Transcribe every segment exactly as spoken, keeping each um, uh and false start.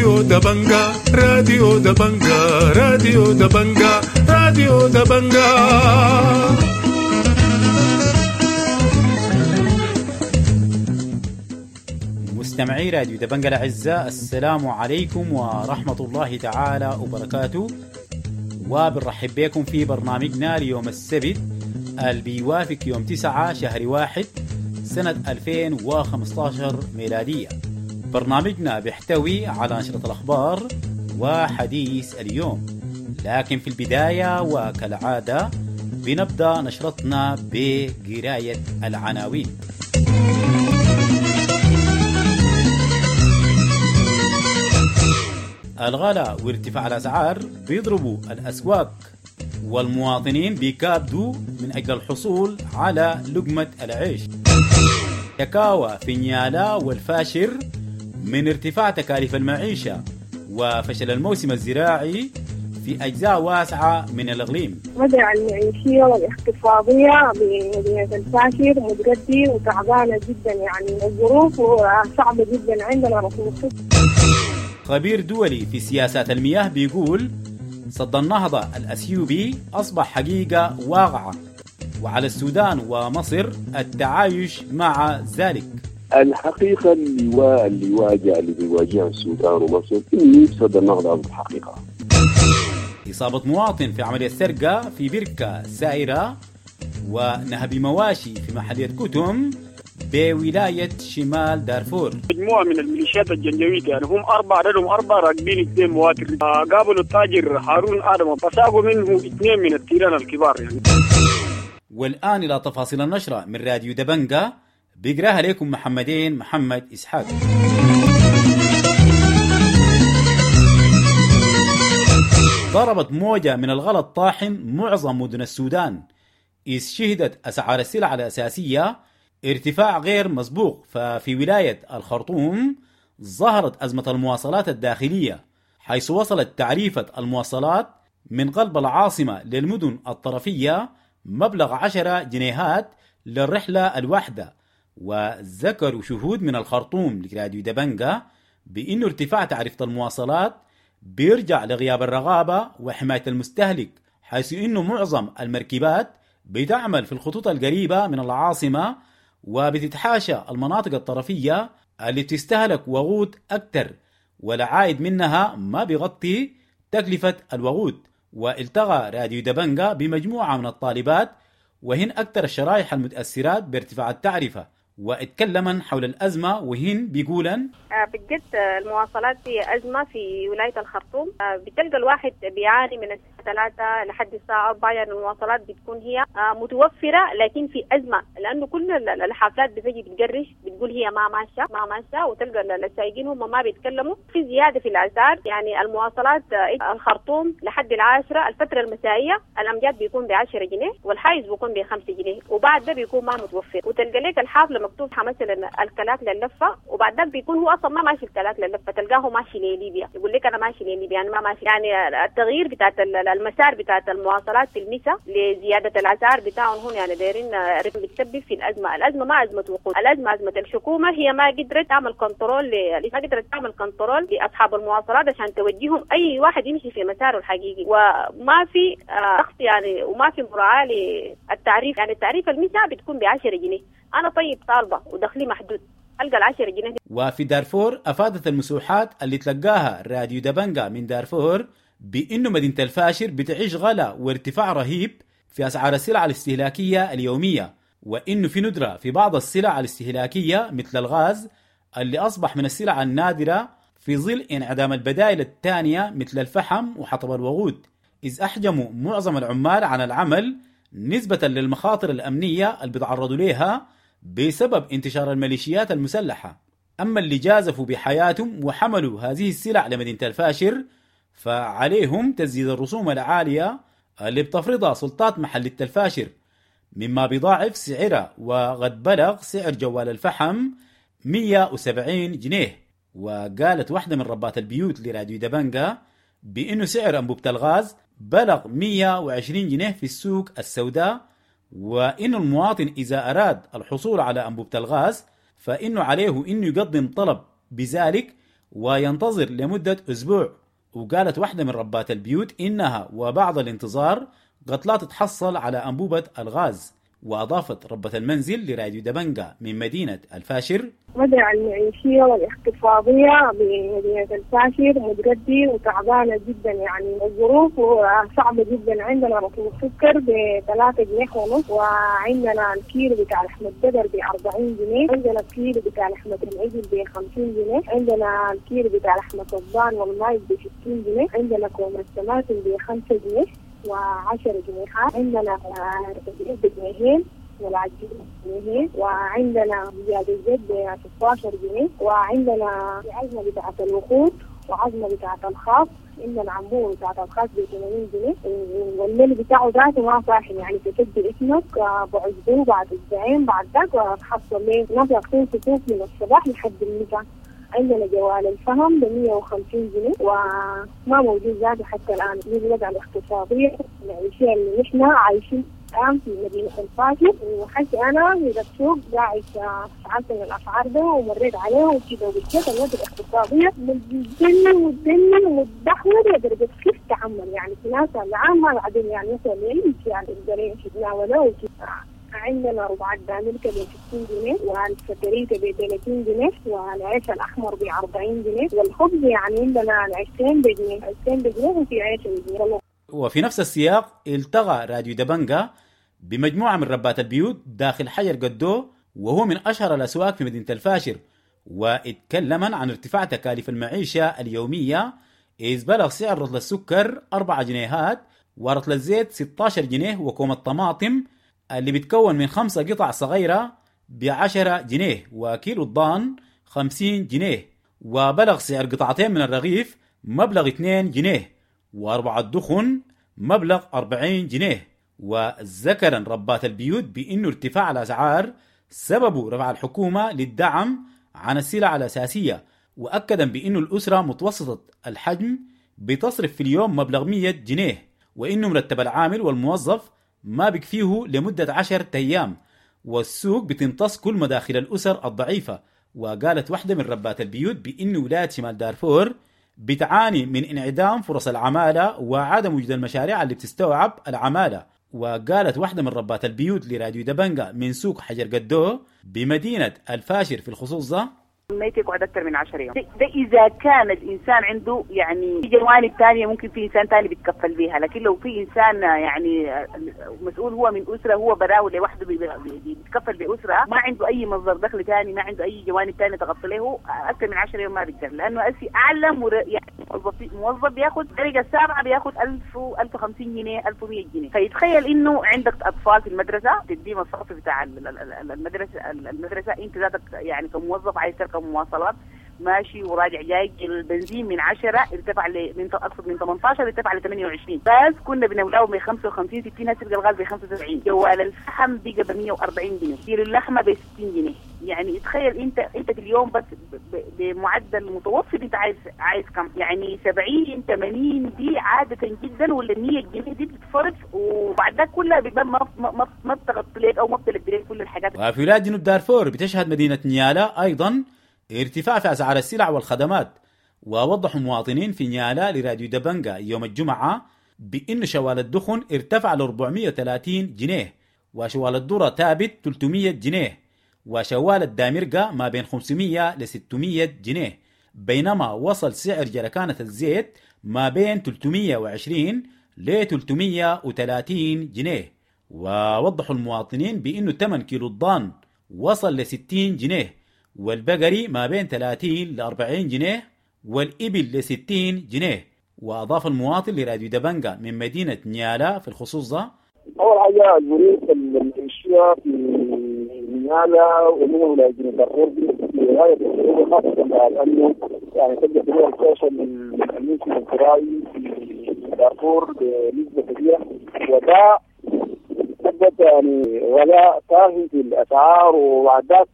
راديو دبنجا راديو دبنجا راديو دبنجا راديو دبنجا. مستمعي راديو دبنجا الأعزاء، السلام عليكم ورحمة الله تعالى وبركاته، وبنرحب بكم في برنامجنا ليوم السبت اللي بيوافق يوم تسعة شهر واحد سنة ألفين وخمستاشر ميلادية. برنامجنا بيحتوي على نشرة الأخبار وحديث اليوم، لكن في البداية وكالعادة بنبدأ نشرتنا بقراية العناوين. الغلاء وارتفاع الأسعار بيضربوا الأسواق، والمواطنين بيكابدوا من أجل الحصول على لقمة العيش. شكاوى في نيالا والفاشر من ارتفاع تكاليف المعيشة وفشل الموسم الزراعي في أجزاء واسعة من الإقليم. وضع المعيشية والاقتصادية بمدينة الفاشر متردي وتعبانة جدا، يعني الظروف صعبة جدا عندنا. رسوخ خبير دولي في سياسات المياه بيقول سد النهضة الأثيوبي أصبح حقيقة واقعة، وعلى السودان ومصر التعايش مع ذلك. الحقيقة اللي اللي واجه اللي بيواجهها السودان ومصر إنه سد النهضة أصبح حقيقة. إصابة مواطن في عملية سرقة في بركة سائرة ونهب مواشي في محلية كتم بولاية شمال دارفور. مجموعة من الميليشيات الجنجويد، يعني هم أربعة، عددهم أربعة، راكبين اثنين مواتر، قابلوا التاجر هارون آدم فساقوا منه اثنين من التيران الكبار يعني. والآن إلى تفاصيل النشرة من راديو دبنجا، بيقراها لكم محمدين محمد إسحاق. ضربت موجة من الغلا الطاحن معظم مدن السودان، إذ شهدت أسعار السلع الأساسية ارتفاع غير مسبوق. ففي ولاية الخرطوم ظهرت أزمة المواصلات الداخلية، حيث وصلت تعريفة المواصلات من قلب العاصمة للمدن الطرفية مبلغ عشرة جنيهات للرحلة الواحدة. وذكروا شهود من الخرطوم لراديو دبنجا بأن ارتفاع تعرفة المواصلات بيرجع لغياب الرغابة وحماية المستهلك، حيث أنه معظم المركبات بتعمل في الخطوط القريبة من العاصمة وبتتحاشى المناطق الطرفية اللي بتستهلك وقود أكثر، والعائد منها ما بيغطي تكلفة الوقود. والتقى راديو دبنجا بمجموعة من الطالبات وهن أكثر الشرائح المتأثرات بارتفاع التعرفة، واتكلمن حول الأزمة وهن بيقولن بجد المواصلات هي أزمة في ولاية الخرطوم. بتلقى الواحد بيعاني من الساعة ثلاثة لحد الساعة أربعة، يعني المواصلات بتكون هي متوفرة لكن في أزمة، لأنه كل الحافلات بتجي بتقرش بتقول هي ما ماشية ما ماشية، وتلقى السائقين هم ما بيتكلموا. في زيادة في الأسعار، يعني المواصلات الخرطوم لحد العاشرة الفترة المسائية الأمجاد بيكون بعشرة جنيه والحايز بيكون بخمسة جنيه، وبعد ده بيكون ما متوفر. وتلقى لك الحافلة مكتوب مثلا الكلاك للفه، وبعد ذلك بيكون هو اصلا ما ماشي الكلاك للفه، تلقاه ماشي لليبيا، يقول لك انا ماشي لليبيا يعني ما ماشي. يعني التغيير بتاعت المسار بتاعت المواصلات في المسا لزيادة الاسعار بتاعهم هون، يعني دايرين بتسبب في الازمة. الازمة ما ازمة وقود، الازمة ازمة الحكومة، هي ما قدرت تعمل control ل... ما قدرت تعمل control لاصحاب المواصلات عشان توجههم اي واحد يمشي في مساره الحقيقي، وما في ضغط يعني، وما في مراعاة للتعريف. يعني التعريف المسا بتكون ب عشرة جنيه، أنا طيب طالبة ودخلي محدود ألقى العشرة جنيه. وفي دارفور أفادت المسوحات اللي تلقاها راديو دبنجا من دارفور بأنه مدينة الفاشر بتعيش غلا وارتفاع رهيب في أسعار السلع الاستهلاكية اليومية، وإنه في ندرة في بعض السلع الاستهلاكية مثل الغاز اللي أصبح من السلع النادرة في ظل انعدام البدائل الثانية مثل الفحم وحطب الوقود، إذ أحجموا معظم العمال عن العمل نسبة للمخاطر الأمنية اللي بيتعرضوا لها بسبب انتشار الميليشيات المسلحة. أما اللي جازفوا بحياتهم وحملوا هذه السلع لمدينة الفاشر فعليهم تسديد الرسوم العالية اللي بتفرضها سلطات محلية الفاشر، مما بيضاعف سعرها، وقد بلغ سعر جوال الفحم مية وسبعين جنيه. وقالت واحدة من ربات البيوت لراديو دبنجا بأنه سعر أنبوبة الغاز بلغ مية وعشرين جنيه في السوق السوداء، وإن المواطن إذا أراد الحصول على أنبوبة الغاز فإنه عليه إنه يقدم طلب بذلك وينتظر لمدة أسبوع. وقالت واحدة من ربات البيوت إنها وبعد الانتظار قد لا تتحصل على أنبوبة الغاز. وأضافت ربة المنزل لراديو دبنجا من مدينة الفاشر: وضع المعيشية والاقتصادية بمدينة الفاشر متردي وتعبانة جدا، يعني الظروف صعبة جدا. عندنا رطل السكر بثلاثة جنيه ونص، وعندنا الكيلو بتاع لحمة البقر بأربعين جنيه، عندنا الكيلو بتاع لحمة العجل بخمسين جنيه، عندنا الكيلو بتاع لحمة الضان والمايز بستين جنيه، عندنا كوم الطماطم بخمسة جنيه وعشر جنيهات، عندنا بجنيهين والعجين جنيهين، وعندنا زيادة الزيت ب ستة عشر جنيه، وعندنا عزمة بتاعة الوقود وعزمة بتاعة الخاص، عندنا عمبوه بتاعة الخاص ب ثمانين جنيه، والميل بتاعه ذاته ما صاحي، يعني تسجل اسمك بعزبوه بعد اسبوعين بعد ذاك وتحصل ليه ناس ياخذون صفوف من الصباح لحد المساء. عندنا جوال الفهم ب مية وخمسين جنيه وما موجود ذاته حتى الآن. دي الوضع الاقتصادية المعيشية اللي نحن عايشين الآن في مدينة الفاشر. وحتى أنا من السوق قاعد سألت من الأسعار ده ومريت عليه وكده، وبالذات الوضع الاقتصادية متدني ومتدني ومتدهور لدرجة كيف تعمل، يعني في ناس العام ما قاعدين يعني مثلا يعني يقدروا يتناولوه وكده. عندنا ربع الدانلكة ب ستين جنيه، والفتريتة ب ثلاثين جنيه، والعيش الأحمر ب أربعين جنيه، والخبز يعني عندنا عيشتين بجنيه، عيشتين بجنيه وفي عيش بجنيه. وفي نفس السياق التقى راديو دبنجا بمجموعة من ربات البيوت داخل حجر قدو، وهو من أشهر الأسواق في مدينة الفاشر، واتكلما عن ارتفاع تكاليف المعيشة اليومية، إذ بلغ سعر رطل السكر أربعة جنيهات ورطل الزيت ستة عشر جنيه، وكوم الطماطم اللي بتكون من خمسة قطع صغيرة بعشرة جنيه، وكيلو الضان خمسين جنيه، وبلغ سعر قطعتين من الرغيف مبلغ اثنين جنيه، وأربعة دخن مبلغ أربعين جنيه. وذكرا ربات البيوت بأنه ارتفاع الأسعار سببه رفع الحكومة للدعم عن السلع الأساسية، وأكدا بأنه الأسرة متوسطة الحجم بتصرف في اليوم مبلغ مية جنيه، وإنه مرتب العامل والموظف ما بكفيه لمدة عشرة أيام، والسوق بتمتص كل مداخل الأسر الضعيفة. وقالت واحدة من ربات البيوت بأن ولاية شمال دارفور بتعاني من انعدام فرص العمالة وعدم وجود المشاريع اللي بتستوعب العمالة. وقالت واحدة من ربات البيوت لراديو دبنجا من سوق حجر قدو بمدينة الفاشر في الخصوص ده: ما يقعد أكثر من عشرة يوم، ده إذا كان الإنسان عنده يعني في جوانب ثانية ممكن في إنسان ثاني بيتكفل بيها، لكن لو في إنسان يعني مسؤول هو من أسرة، هو براو لوحده بيتكفل بأسرة، ما عنده أي مصدر دخل ثاني، ما عنده أي جوانب ثانية تغطي له، أكثر من عشرة يوم ما بيقدر، لأنه أسي أعلى مر... يعني موظف موظف بياخذ درجة السابعة بياخذ ألف ألف وخمسين جنيه ألف ومية جنيه، فيتخيل إنه عندك أطفال في المدرسة تدي مصاريف بتاع المدرسة المدرسة أنت ذاتك يعني كموظف عايز تركب مواصلات ماشي وراجع جاي، البنزين من عشرة ارتفع ل من اقصد من ثمانية عشر ارتفع ل ثمانية وعشرين، بس كنا بنولعه ب خمسة وخمسين ستين، هسه الغاز ب خمسة وسبعين، جوال الفحم بقى ب مية وأربعين جنيه، كيلو اللحمة ب ستين جنيه، يعني تخيل انت انت في اليوم بس بمعدل متوسط انت عايز عايز كم؟ يعني سبعين ثمانين دي عادة جدا، ولا مية جنيه دي بتتصرف، وبعد ده كلها بيبقى ما ما ما بتغطي لك او ما بتلبي لك كل الحاجات. وفي ولاية جنوب دارفور بتشهد مدينة نيالا ايضا ارتفاع في أسعار السلع والخدمات، ووضحوا مواطنين في نيالا لراديو دبنجا يوم الجمعة بأن شوال الدخن ارتفع ل أربعمية وثلاثين جنيه، وشوال الذرة ثابت ثلاثمية جنيه، وشوال الدامرقة ما بين خمسمية ل ستمية جنيه، بينما وصل سعر جركانة الزيت ما بين ثلاثمية وعشرين ل ثلاثمية وثلاثين جنيه. ووضحوا المواطنين بأنه ثمن كيلو الضان وصل ل ستين جنيه، والبقري ما بين ثلاثين ل أربعين جنيه، والإبل ل ستين جنيه. وأضاف المواطن لراديو دبنجا من مدينة نيالا في الخصوص ده: أول حاجة الظروف المعيشية في نيالا ومن ولاية جنوب دارفور في غاية الصعوبة، خاصة لأنه يعني تبدأ طلوع الفرصة من الموسم الزراعي في دارفور بنسبة كبيرة، وده سبب يعني غلاء فاحش في الأسعار، وبعد ذاك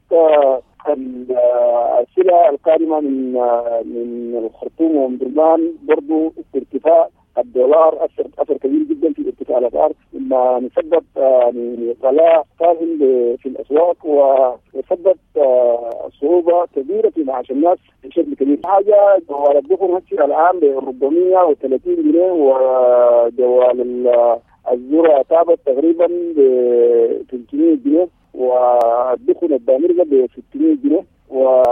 السلع القادمة من من الخرطوم وأم درمان برضو في ارتفاع الدولار اثر اثر كبير جدا في ارتفاع الاسعار، مما نسبب يعني غلاء فاهم في الاسواق وسبب صعوبة كبيرة في معاش الناس بشكل كبير. حاجة جوال الدخن هسه الان ب أربعمية وثلاثين جنيه، وجوال الذرة تابت تقريبا ب ثلاثمية جنيه، والدخن الدامرجه ب ستمية جنيه و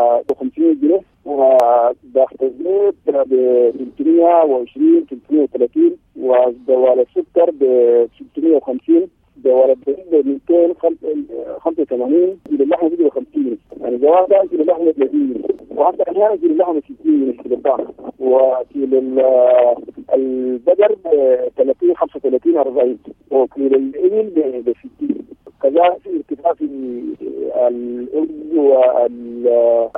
خمسمية جنيه، وداخل الزيت ب ثلاثمية وعشرين ثلاثمية وثلاثين، ودوال السكر ب ستمية وخمسين، دوال الدقيق ب مئتين وخمسة وثمانين، كيلو اللحمة ب خمسين جنيه، يعني جوال ده كيلو اللحمة ثلاثين جنيه، وحتى احيانا كيلو اللحمة ستين جنيه في البضاعة، وكيلو البقر ب ثلاثين خمسة وثلاثين أربعين، وكيلو الإبل ب ستين. كذلك في ارتفاع في الأرز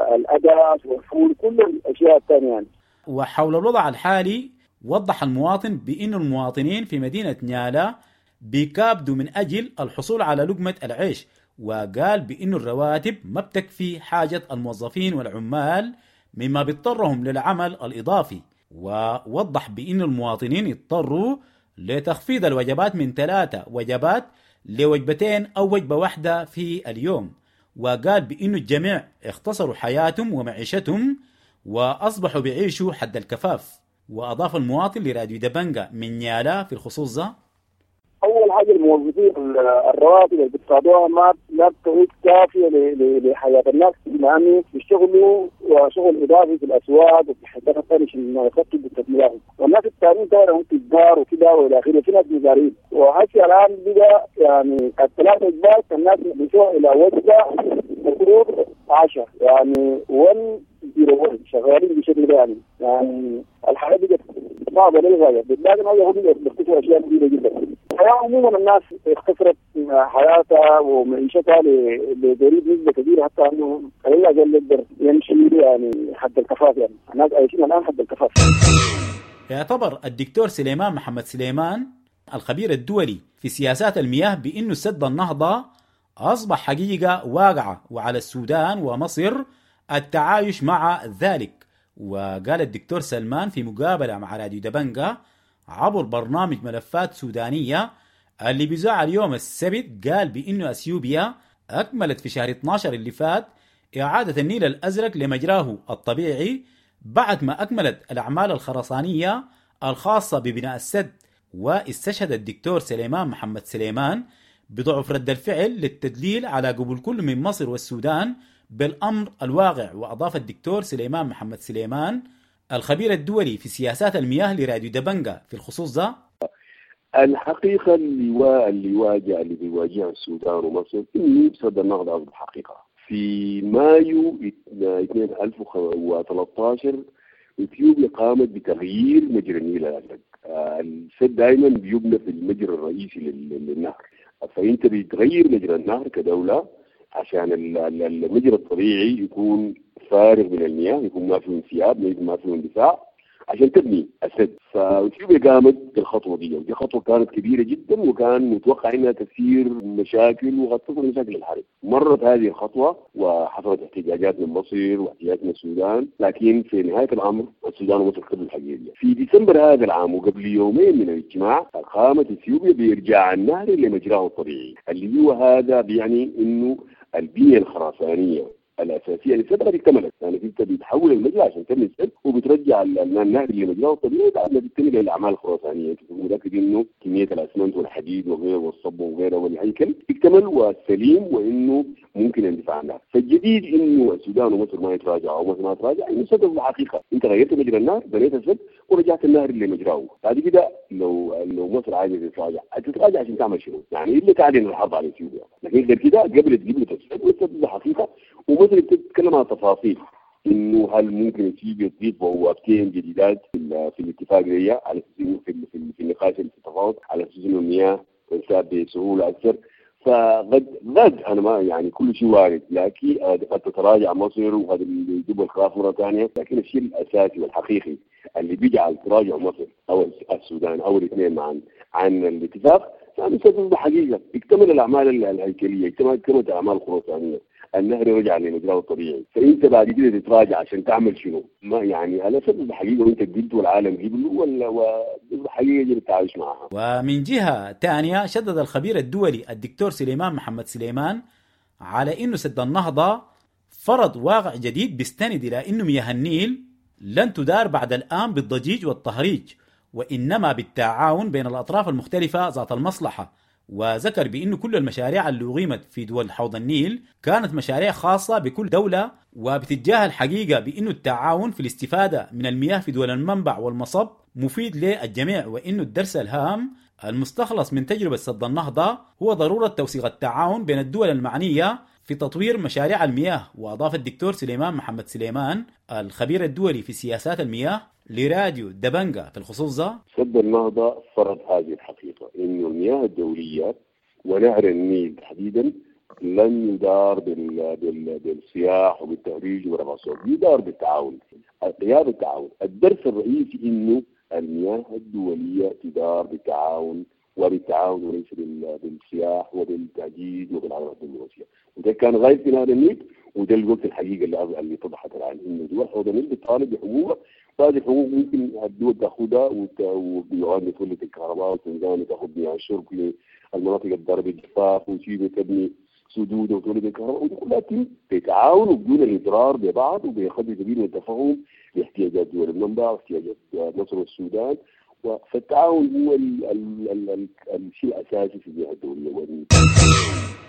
والأداس والفول، كل الأشياء الثانية يعني. وحول الوضع الحالي وضح المواطن بأن المواطنين في مدينة نيالا بيكابدوا من أجل الحصول على لقمة العيش، وقال بأن الرواتب ما بتكفي حاجة الموظفين والعمال مما بيضطرهم للعمل الإضافي. ووضح بأن المواطنين اضطروا لتخفيض الوجبات من ثلاثة وجبات لوجبتين أو وجبة واحدة في اليوم، وقال بأنه الجميع اختصروا حياتهم ومعيشتهم وأصبحوا بيعيشوا حد الكفاف. وأضاف المواطن لراديو دبنجة من نيالا في الخصوص ده: أول حاجة الموظفين الرواتب اللي بيتقاضوها ما لا بتعود كافية لحياة الناس، بما أنه بيشتغلوا وشغل إضافي في الأسواق وفي الحاجات الثانية عشان يخطوا بالتكميلات، والناس الثانيين طبعا هم تجار وكده وإلى آخره، في ناس مزارعين. وهسه الآن بقى يعني الثلاث وجبات الناس بيسووا إلى وجبة المفروض عشرة، يعني واحد صفر واحد شغالين بشكل ده يعني يعني الحياة بقت صعبة للغاية، بالذات إنه هم بيختفوا أشياء كبيرة جدا. الحياة عموما الناس اختصرت حياتها ومعيشتها لقريب نسبة كبيرة، حتى انه قليل اقل يقدر يمشي يعني حد الكفاف، يعني الناس عايشين الان حد الكفاف. يعتبر الدكتور سليمان محمد سليمان الخبير الدولي في سياسات المياه بأنه سد النهضة أصبح حقيقة واقعة وعلى السودان ومصر التعايش مع ذلك. وقال الدكتور سلمان في مقابلة مع راديو دبنجة عبر برنامج ملفات سودانية اللي بيذاع اليوم السبت، قال بأنه أثيوبيا أكملت في شهر اثناشر اللي فات إعادة النيل الأزرق لمجراه الطبيعي بعد ما أكملت الأعمال الخرسانية الخاصة ببناء السد. واستشهد الدكتور سليمان محمد سليمان بضعف رد الفعل للتدليل على قبول كل من مصر والسودان بالأمر الواقع. وأضاف الدكتور سليمان محمد سليمان الخبير الدولي في سياسات المياه لراديو دبنجة في الخصوص ده: الحقيقة اللي اللي واجه اللي بيواجهها السودان ومصر إنه سد النهضة أصبح حقيقة. في مايو ألفين وثلاثة عشر اثيوبيا قامت بتغيير مجرى النيل الازرق. السد دائما بيبنى في المجرى الرئيسي للنهر، فانت بتغير مجرى النهر كدولة عشان المجرى الطبيعي يكون فارغ من المياه، يكون ما فيه انسياب، ما فيه اندفاع، عشان تبني السد. فاثيوبيا قامت بالخطوه دي، ودي خطوة كانت كبيرة جدا وكان متوقع انها تثير مشاكل وقد تصل مشاكل الحرب. مرت هذه الخطوة وحصلت احتجاجات من مصر واحتجاجات من السودان، لكن في نهاية الامر السودان ومصر قبلوا الحقيقة دي. في ديسمبر هذا العام وقبل يومين من الاجتماع قامت اثيوبيا بارجاع النهر لمجراه الطبيعي، اللي هو هذا بيعني انه البنية الخرسانيه الاساسية للسد قد اكتملت. يعني انت بتحول المجرى عشان تبني السد وبترجع النهر لمجراه الطبيعي بعد ما تكتمل الاعمال الخرسانيه. انت تكون متاكد انه كمية الاسمنت والحديد وغيره والصب وغيره والهيكل اكتمل وسليم وانه ممكن اندفاع النهر. فالجديد انه السودان ومصر ما يتراجعوا او مصر ما تراجع، انه السد الحقيقة انت غيرت مجرى النهر، بنيت السد ورجعت النهر لمجراه. بعد كده لو لو مصر عايزه تتراجع تتراجع عشان تعمل شنو؟ يعني الا تعلن الحرب على اثيوبيا. لكن غير كده قبلت قبلت السد والسد حقيقة. ومصر بتتكلم عن تفاصيل انه هل ممكن اثيوبيا تضيف بوابتين جديدات في, في الاتفاقية على اساس في, في, في النقاش في التفاوض على اساس انه المياه تنساب بسهولة اكثر. فقد قد انا ما يعني كل شيء وارد، لكن قد تتراجع مصر وقد يجيب الخلاف مرة ثانية. لكن الشيء الاساسي والحقيقي اللي بيجعل تراجع مصر او السودان او الاثنين معا عن الاتفاق فهذا سبب حقيقة. اكتمل الاعمال الهيكلية، اكتملت الاعمال الخرسانيه، النهر رجع لمجراه الطبيعي، فانت بعد كده تتراجع عشان تعمل شنو؟ ما يعني هذا سبب حقيقة وانت قبلت والعالم قبله ولا وحقيقة يجب التعايش معها. ومن جهة ثانية شدد الخبير الدولي الدكتور سليمان محمد سليمان على انه سد النهضة فرض واقع جديد بيستند الى انه مياه النيل لن تدار بعد الان بالضجيج والتهريج، وانما بالتعاون بين الاطراف المختلفة ذات المصلحة. وذكر بأن كل المشاريع اللي أقيمت في دول حوض النيل كانت مشاريع خاصة بكل دولة، وبتتجاهل حقيقة بأن التعاون في الاستفادة من المياه في دول المنبع والمصب مفيد للجميع، وأن الدرس الهام المستخلص من تجربة سد النهضة هو ضرورة توثيق التعاون بين الدول المعنية في تطوير مشاريع المياه. وأضاف الدكتور سليمان محمد سليمان الخبير الدولي في سياسات المياه لراديو دبنجا في الخصوص ده: سد النهضة فرض هذه الحقيقة، إنه المياه الدولية ونهر النيل تحديدا لن يدار بال... بال... بالصياح وبالتهريج ورفع الصوت، يدار بالتعاون، غياب التعاون. الدرس الرئيسي إنه المياه الدولية تدار بالتعاون وبالتعاون وليس بالصياح وبالتهديد وبالعمل الدبلوماسية، وده كان غايب في نهر النيل، وده الوقت الحقيقة اللي اللي اتضحت الآن إنه دول حوض النيل بتطالب بحقوقها، وهذه الحقوق ممكن الدول تاخذها ويوغندا تولد الكهرباء وتنزانيا تاخذ مياه الشرب للمناطق الضاربة الجفاف وتشيلي تبني سدود وتولد الكهرباء، ودي كلها تتم بتعاون وبدون الاضرار ببعض وبقدر كبير من التفاهم لاحتياجات دول المنبع واحتياجات مصر والسودان. فالتعاون هو ال ال ال ال الشيء الاساسي في المياه الدولية.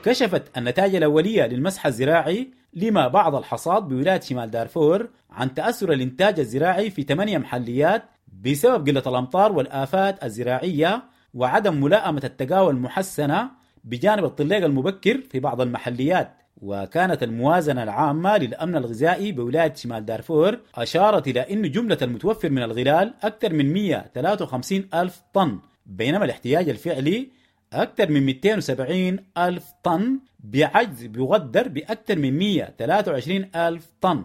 كشفت النتائج الأولية للمسح الزراعي لما بعض الحصاد بولاية شمال دارفور عن تأثر الإنتاج الزراعي في ثمانية محليات بسبب قلة الأمطار والآفات الزراعية وعدم ملائمة التقاوى المحسنة بجانب الطلاق المبكر في بعض المحليات. وكانت الموازنة العامة للأمن الغذائي بولاية شمال دارفور أشارت إلى أن جملة المتوفر من الغلال أكثر من مئة وثلاثة وخمسين ألف طن، بينما الاحتياج الفعلي أكثر من مئتين وسبعين ألف طن، بعجز بيقدر بأكثر من مئة وثلاثة وعشرين ألف طن.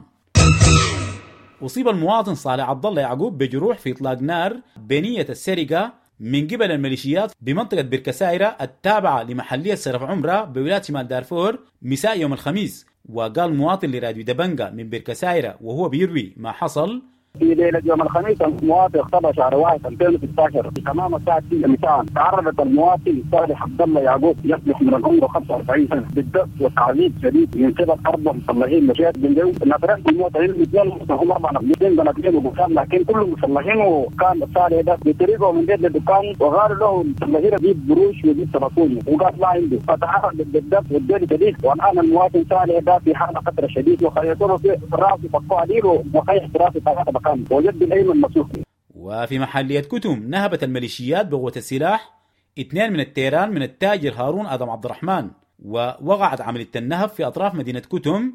أصيب المواطن صالح عبد الله يعقوب بجروح في إطلاق نار بنية السرقة من قبل الميليشيات بمنطقة بركسايرة التابعة لمحلية سرف عمرة بولاية شمال دارفور مساء يوم الخميس. وقال مواطن لراديو دبنجا من بركسايرة وهو بيروي ما حصل: في ليلة يوم الخميس الموافق سبعة شهر واحد ألفين وستة عشر تمام الساعة ستة مساء تعرضت المواطن صالح عبد الله يعقوب يصلح من العمر خمسة وأربعين سنة بالدق وتعذيب شديد من قبل أربع مسلحين مشيات بن نفرين المواطنين الاثنين هم أربع نفرين بناتين وبكان لكن كلهم مسلحين، وكان صالح ده بطريقة من بيت للدكان وغار له المسلحين يجيب بروش ويجيب تلفون وقال لا عنده، فتعرض للدق والجلد شديد. والآن المواطن صالح ده في حالة خطرة شديد وخيطوه في راسه فكوه عليه وخيط راسه ثلاثة وجد الأيمن مسوق. وفي محلية كتم نهبت الميليشيات بقوة السلاح اثنين من التيران من التاجر هارون آدم عبد الرحمن، ووقعت عملية النهب في أطراف مدينة كتم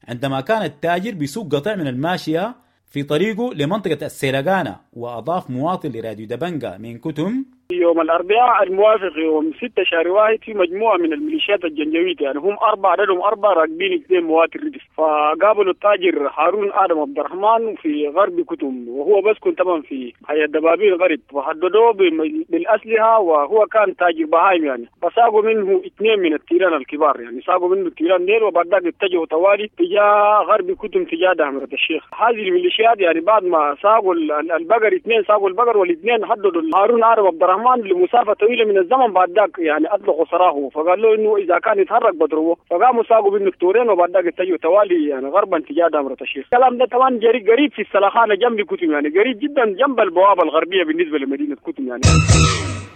عندما كان التاجر بيسوق قطع من الماشية في طريقه لمنطقة السيلغانة. وأضاف مواطن لراديو دبنجا من كتم: يوم الأربعاء الموافق يوم ستة شهر واحد في مجموعة من الميليشيات الجنجويد، يعني هم أربعة عددهم أربعة راكبين اثنين مواتر ردف، فقابلوا التاجر هارون آدم عبد الرحمن في غرب كتم، وهو بسكن طبعا في حي الدبابين غرب، وحددوه بالأسلحة وهو كان تاجر بهايم يعني، فساقوا منه اثنين من التيران الكبار يعني، ساقوا منه التيران ديل وبعد ذاك اتجهوا طوالي تجاه غرب كتم تجاه دهمرة الشيخ. هذه الميليشيات يعني بعد ما ساقوا البقر اثنين ساقوا البقر والاثنين حددوا هارون آدم عبد الرحمن لمسافة طويلة من الزمن، بعد ذاك يعني اطلقوا سراحه، فقال له انه اذا كان يتحرك بضربه، فقاموا ساقوا منه التورين وبعد ذاك اتجهوا توالي يعني غربا تجاه دامرة الشيخ. الكلام ده طبعا قريب في السلخانه جنب كتم يعني قريب جدا جنب البوابة الغربية بالنسبة لمدينة كتم يعني.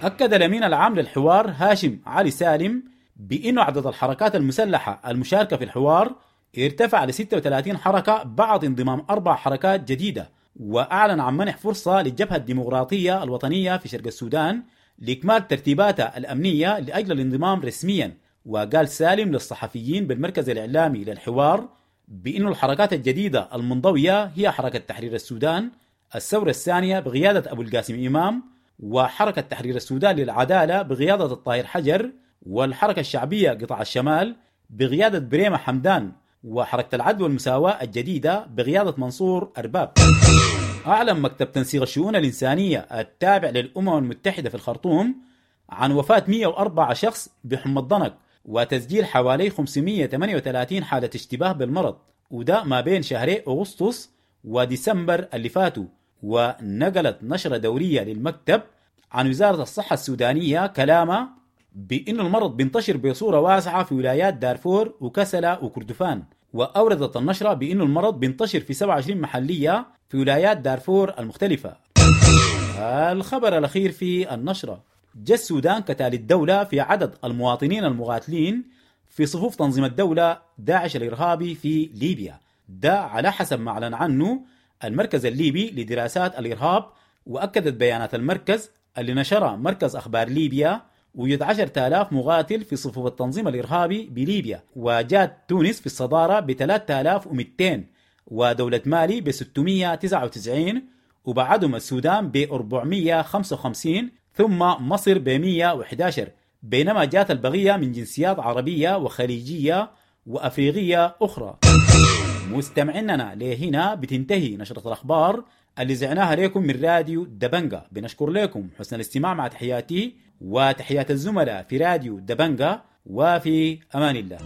اكد الامين العام للحوار هاشم علي سالم بانه عدد الحركات المسلحة المشاركة في الحوار ارتفع ل ستة وثلاثين حركة بعد انضمام اربع حركات جديدة، وأعلن عن منح فرصة للجبهة الديمقراطية الوطنية في شرق السودان لإكمال ترتيباتها الأمنية لأجل الانضمام رسميا. وقال سالم للصحفيين بالمركز الإعلامي للحوار بأن الحركات الجديدة المنضوية هي حركة تحرير السودان الثورة الثانية بقيادة أبو القاسم إمام، وحركة تحرير السودان للعدالة بقيادة الطاهر حجر، والحركة الشعبية قطاع الشمال بقيادة بريمة حمدان، وحركة العدل والمساواة الجديدة بقيادة منصور أرباب. أعلن مكتب تنسيق الشؤون الإنسانية التابع للأمم المتحدة في الخرطوم عن وفاة مئة وأربعة شخص بحمى الضنك، وتسجيل حوالي خمسمية وثمانية وثلاثين حالة اشتباه بالمرض، وده ما بين شهري أغسطس وديسمبر اللي فاتوا. ونقلت نشرة دورية للمكتب عن وزارة الصحة السودانية كلامها بأن المرض بينتشر بصورة واسعة في ولايات دارفور وكسلا وكردفان. وأوردت النشرة بأن المرض بينتشر في سبعة وعشرين محلية في ولايات دارفور المختلفة. الخبر الأخير في النشرة: جاء السودان كتالي الدولة في عدد المواطنين المقاتلين في صفوف تنظيم الدولة داعش الإرهابي في ليبيا، ده على حسب ما أعلن عنه المركز الليبي لدراسات الإرهاب. وأكدت بيانات المركز اللي نشرها مركز أخبار ليبيا وجود عشرة آلاف مقاتل في صفوف التنظيم الإرهابي بليبيا، وجات تونس في الصدارة ب ثلاثة آلاف ومئتين، ودولة مالي ب ستمية وتسعة وتسعين، وبعدهم السودان ب أربعمية وخمسة وخمسين، ثم مصر ب مية وأحد عشر، بينما جات البقية من جنسيات عربية وخليجية وأفريقية أخرى. مستمعيننا لهنا بتنتهي نشرة الأخبار اللي زعناها لكم من راديو دبنجا. بنشكر لكم حسن الاستماع، مع تحياتي وتحيات الزملاء في راديو دبنجا، وفي أمان الله.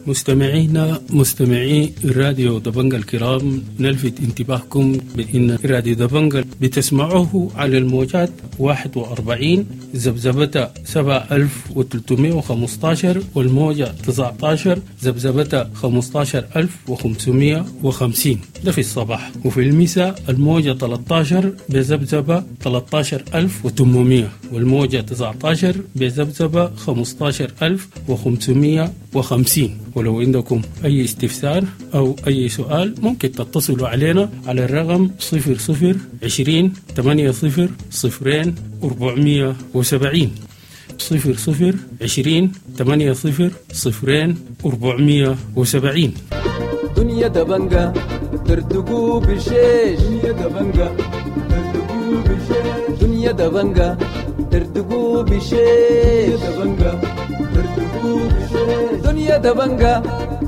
مستمعينا مستمعي راديو دبنجا الكرام، نلفت انتباهكم بأن راديو دبنجا بتسمعوه على الموجات واحد وأربعين ذبذبة سبعة ألف وثلاثمائة وخمسة عشر والموجة تسعة عشر ذبذبة خمسة عشر ألف وخمسمائة وخمسين، ده في الصباح. وفي المساء الموجة ثلاثة عشر بذبذبة ثلاثة عشر ألف وثمانمائة والموجة تسعة عشر بذبذبة خمسة عشر ألف وخمسمائة وخمسين. ولو عندكم أي استفسار أو أي سؤال ممكن تتصلوا علينا على الرقم صفر صفر عشرين ثمانية صفر صفرين أربعمية وسبعين، صفر صفر عشرين ثمانية صفر صفرين أربعمية وسبعين. دنيا دبنجة تردقوا بالشيش، دنيا دبنجة تردقوا بالشيش، دنيا دبنجة تردقوا بالشيش، دبنجة تردقوا بالشيش، دنيا دبنجة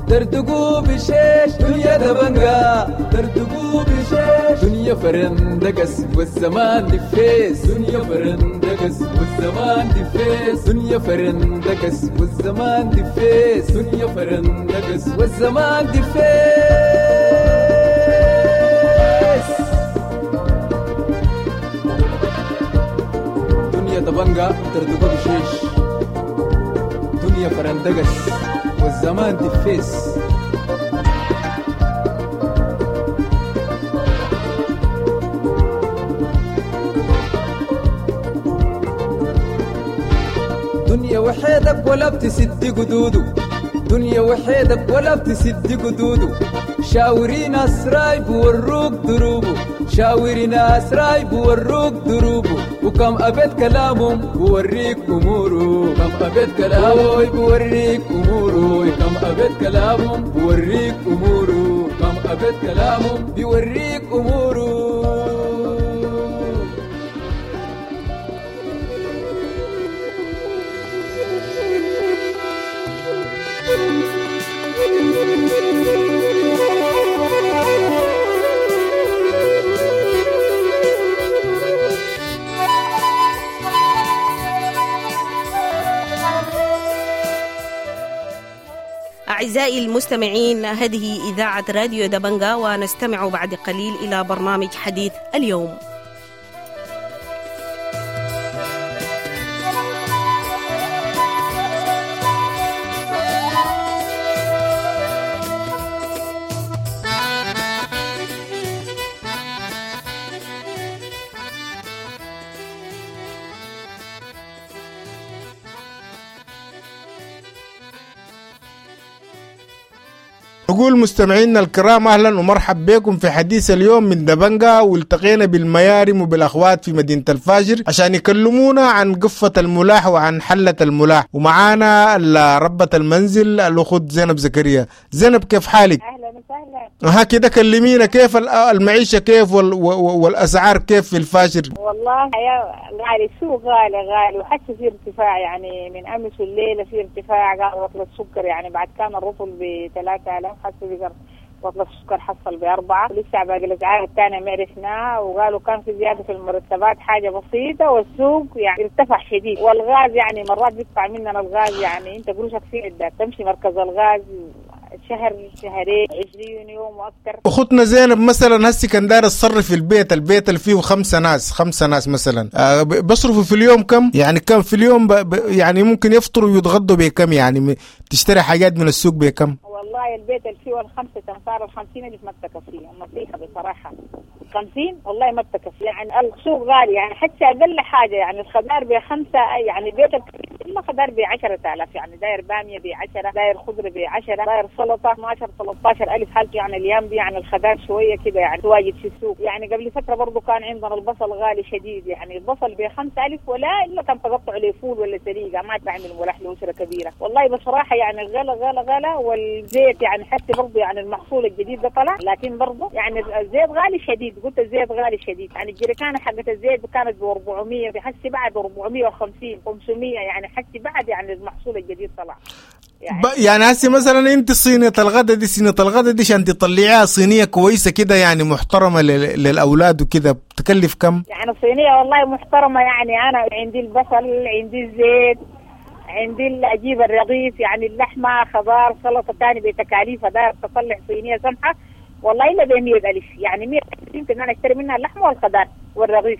تردقوا بالشيش، دنيا دبنجة تردقوا بالشيش، دنيا فرندقس والزمان دفيس، دنيا فرندقس والزمان دفيس، دنيا فرندقس والزمان دفيس، دنيا فرندقس والزمان دفيس. دنيا دبنجة تردقوا بالشيش، دنيا فرندقس والزمان دفيس. دنيا وحيدك ولا بتسد قدوده، دنيا وحيدك ولا بتسد قدوده، شاوري ناس رايب وروك دروبه، شاوري ناس رايب وروك دروبه، وكم أبيت كلامهم بوريك أموره، كم أبيت كلامهم بوريك أموره، كم أبيت كلامهم بوريك أموره، كم أبيت كلامهم بيوريك أموره. أعزائي المستمعين، هذه إذاعة راديو دبنجا، ونستمع بعد قليل إلى برنامج حديث اليوم. نقول مستمعينا الكرام أهلا ومرحب بكم في حديث اليوم من دبنجا، والتقينا بالميارم وبالأخوات في مدينة الفاجر عشان يكلمونا عن قفة الملاح وعن حلة الملاح، ومعانا ربة المنزل الأخت زينب زكريا. زينب كيف حالك؟ أهلا وسهلا. ها كده كلمينا كيف المعيشة كيف والأسعار كيف في الفاجر؟ والله يا غالي، السوق غالي غالي، وحتى في ارتفاع يعني من أمس الليلة في ارتفاع، قال رطل السكر يعني بعد كان الرطل ب ثلاثة آلاف حسب بقى رطل السكر حصل بأربعة، ولسه باقي الأسعار الثانية ما عرفناها. وقالوا كان في زيادة في المرتبات حاجة بسيطة، والسوق يعني ارتفع شديد. والغاز يعني مرات بيدفع مننا الغاز، يعني أنت قروشك في عندك تمشي مركز الغاز شهر شهرين عشرين يوم واكثر. اختنا زينب مثلا هسي كان داير تصرف في البيت، البيت اللي فيه خمسة ناس، خمسة ناس مثلا آه بصرفوا في اليوم كم؟ يعني كم في اليوم ب... ب... يعني ممكن يفطروا ويتغدوا بكم؟ يعني تشتري حاجات من السوق بكم؟ والله البيت اللي فيه الخمسة تنفار الخمسين ألف ما بتكفي، النصيحة بصراحة خمسين والله ما بتكفي. يعني السوق غالي، يعني حتى أقل حاجة يعني الخضار بخمسة، يعني البيت إلا خضار بعشرة آلاف، يعني داير بامية بعشرة، داير خضرة بعشرة، داير سلطة اثنا عشر ثلاثة عشر ألف حالته. يعني الأيام دي يعني الخضار شوية كده يعني تواجد في السوق. يعني قبل فترة برضو كان عندنا البصل غالي شديد، يعني البصل بخمسة ألف ولا إلا كان تقطع له فول ولا سليقة، ما تعمل ملح لأسرة كبيرة. والله بصراحة يعني غلا غلا غلا. والزيت يعني حتى برضو يعني المحصول الجديد ده طلع، لكن برضو يعني الزيت غالي شديد. قلت الزيت غالي شديد، يعني الجريكانة حقت الزيت كانت ب أربعمية، بحسي بعد أربعمية وخمسين خمسمية، يعني حسي بعد يعني المحصول الجديد طلع. يعني يعني هسي مثلا انت صينية الغدا دي، صينية الغدا دي عشان تطلعيها صينية كويسة كده يعني محترمة للأولاد وكده بتكلف كم؟ يعني صينية والله محترمة، يعني أنا عندي البصل، عندي الزيت، عندي أجيب الرغيف، يعني اللحمة، خضار، سلطة تاني بتكاليفها، داير تطلع صينية سمحة والله إلا بمية ألف، يعني مية ألف يمكن أنا أشتري منها اللحمة والخضار والرغيف.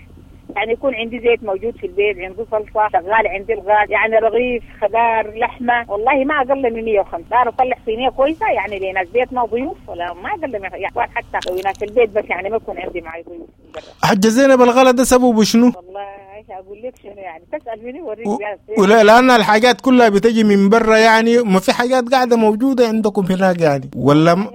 يعني يكون عندي زيت موجود في البيت، عندي صلصة شغال، عندي الغاز، يعني رغيف، خضار، لحمة، والله ما أقل من مية وخمسة. أنا أطلع صينية كويسة يعني لناس بيتنا ضيوف، ولا ما أقل من يعني حتى لو ناس البيت بس، يعني ما يكون عندي معي ضيوف. حجة زينب الغلا ده سببه شنو؟ والله ايش أقول لك شنو، يعني تسأل مني وريك. و... ولا لأن الحاجات كلها بتجي من برا، يعني ما في حاجات قاعدة موجودة عندكم هناك يعني ولا م...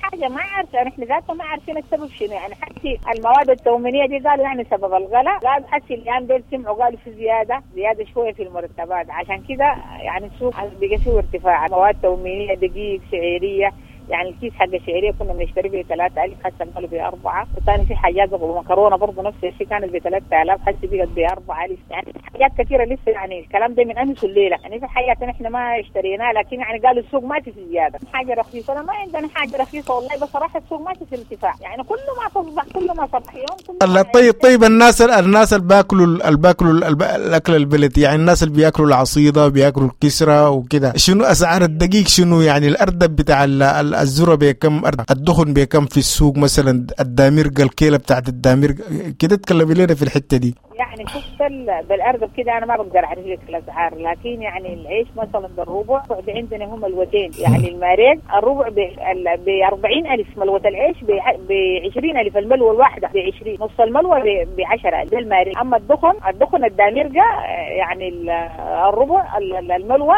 حاجة ما عارفة، نحن ذاته ما عارفين السبب شنو. يعني حتى المواد التومينية دي قالوا يعني سبب الغلاء، قالوا حتى الأيام دي سمعوا قالوا في زيادة زيادة شوية في المرتبات، عشان كده يعني السوق بقى فيه ارتفاع. مواد تومينية، دقيق، شعيرية، يعني الكيس حق الشعيرية كنا بنشتري ب ثلاثة ألف حتى قالوا بأربعة. وثاني في حاجات ومكرونة برضه نفس الشيء كانت ب ثلاثة آلاف حتى بقت بأربعة ألف. يعني حاجات كثيرة لسه، يعني الكلام ده من أمس الليلة، يعني في حاجات نحن ما اشتريناها، لكن يعني قالوا السوق ما في زيادة. حاجة رخيصة أنا ما عندنا حاجة رخيصة والله بصراحة، السوق ما في ارتفاع، يعني كل ما تصبح كل ما صبح يوم كل الله. طيب طيب الناس الناس اللي بياكلوا اللي بياكلوا الأكل البلدي، يعني الناس اللي بياكلوا العصيدة بياكلوا الكسرة وكده، شنو أسعار الدقيق؟ شنو يعني الأردب بتاع الذرة بكم، الدخن بكم في السوق مثلا، الدامرقة الكيلة بتاعت الدامرقة كده، تكلمي لنا في الحتة دي. يعني شفت بالأردب كده أنا ما بقدر أعرف لك الأسعار، لكن يعني العيش مثلا بالربع عندنا هم الوتين، يعني الماريق الربع ب أربعين ألف، ملوة العيش ب عشرين ألف، الملوة الواحدة ب عشرين، نص الملوة ب عشرة ده الماريق. أما الدخن الدخن الدامرقة يعني الربع الملوة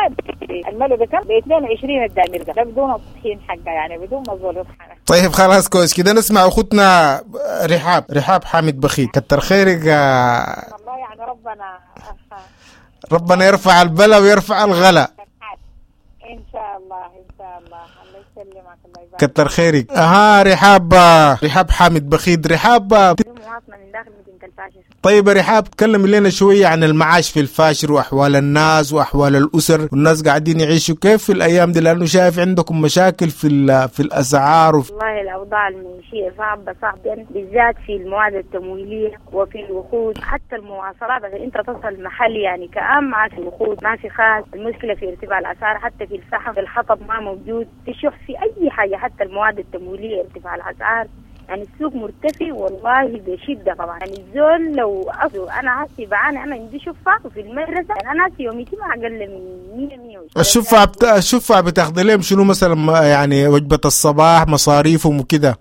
الملوة بكم؟ ب اثنين وعشرين الدامرقة، ده بدون الطحين حقه، يعني بدون ما الزول يطحنه. طيب خلاص كويس كده. نسمع أخوتنا رحاب، رحاب حامد بخيت، كتر خيرك. الله يعني ربنا ربنا يرفع البلا ويرفع الغلا ان شاء الله ان شاء الله. الله يسلمك الله يبارك. كتر خيرك. اها رحاب، رحاب حامد بخيت. رحاب مواطنة من داخل مدينة الفاشر. طيب رحاب، تكلم لنا شوية عن المعاش في الفاشر وأحوال الناس وأحوال الأسر والناس قاعدين يعيشوا كيف في الأيام دي، لأنه شايف عندكم مشاكل في في الأسعار وفي... والله الأوضاع المعيشية صعبة صعبة، بالذات في المواد التمويلية وفي الوقود، حتى المواصلات عشان أنت تصل محل يعني كأم ما في وقود، ما في خاز. المشكلة في ارتفاع الأسعار، حتى في الفحم، في الحطب ما موجود، في شح، في أي حاجة، حتى المواد التمويلية ارتفاع الأسعار. يعني السوق مرتفع والله بشدة طبعا. يعني الزول لو أصله أنا هسي بعاني، أنا عندي شفة وفي المدرسة، يعني أنا هسي يوميتي ما أقل من مية مية وعشرين. الشفة بت... الشفة بتاخذ لهم شنو مثلا؟ يعني وجبة الصباح مصاريفهم وكده.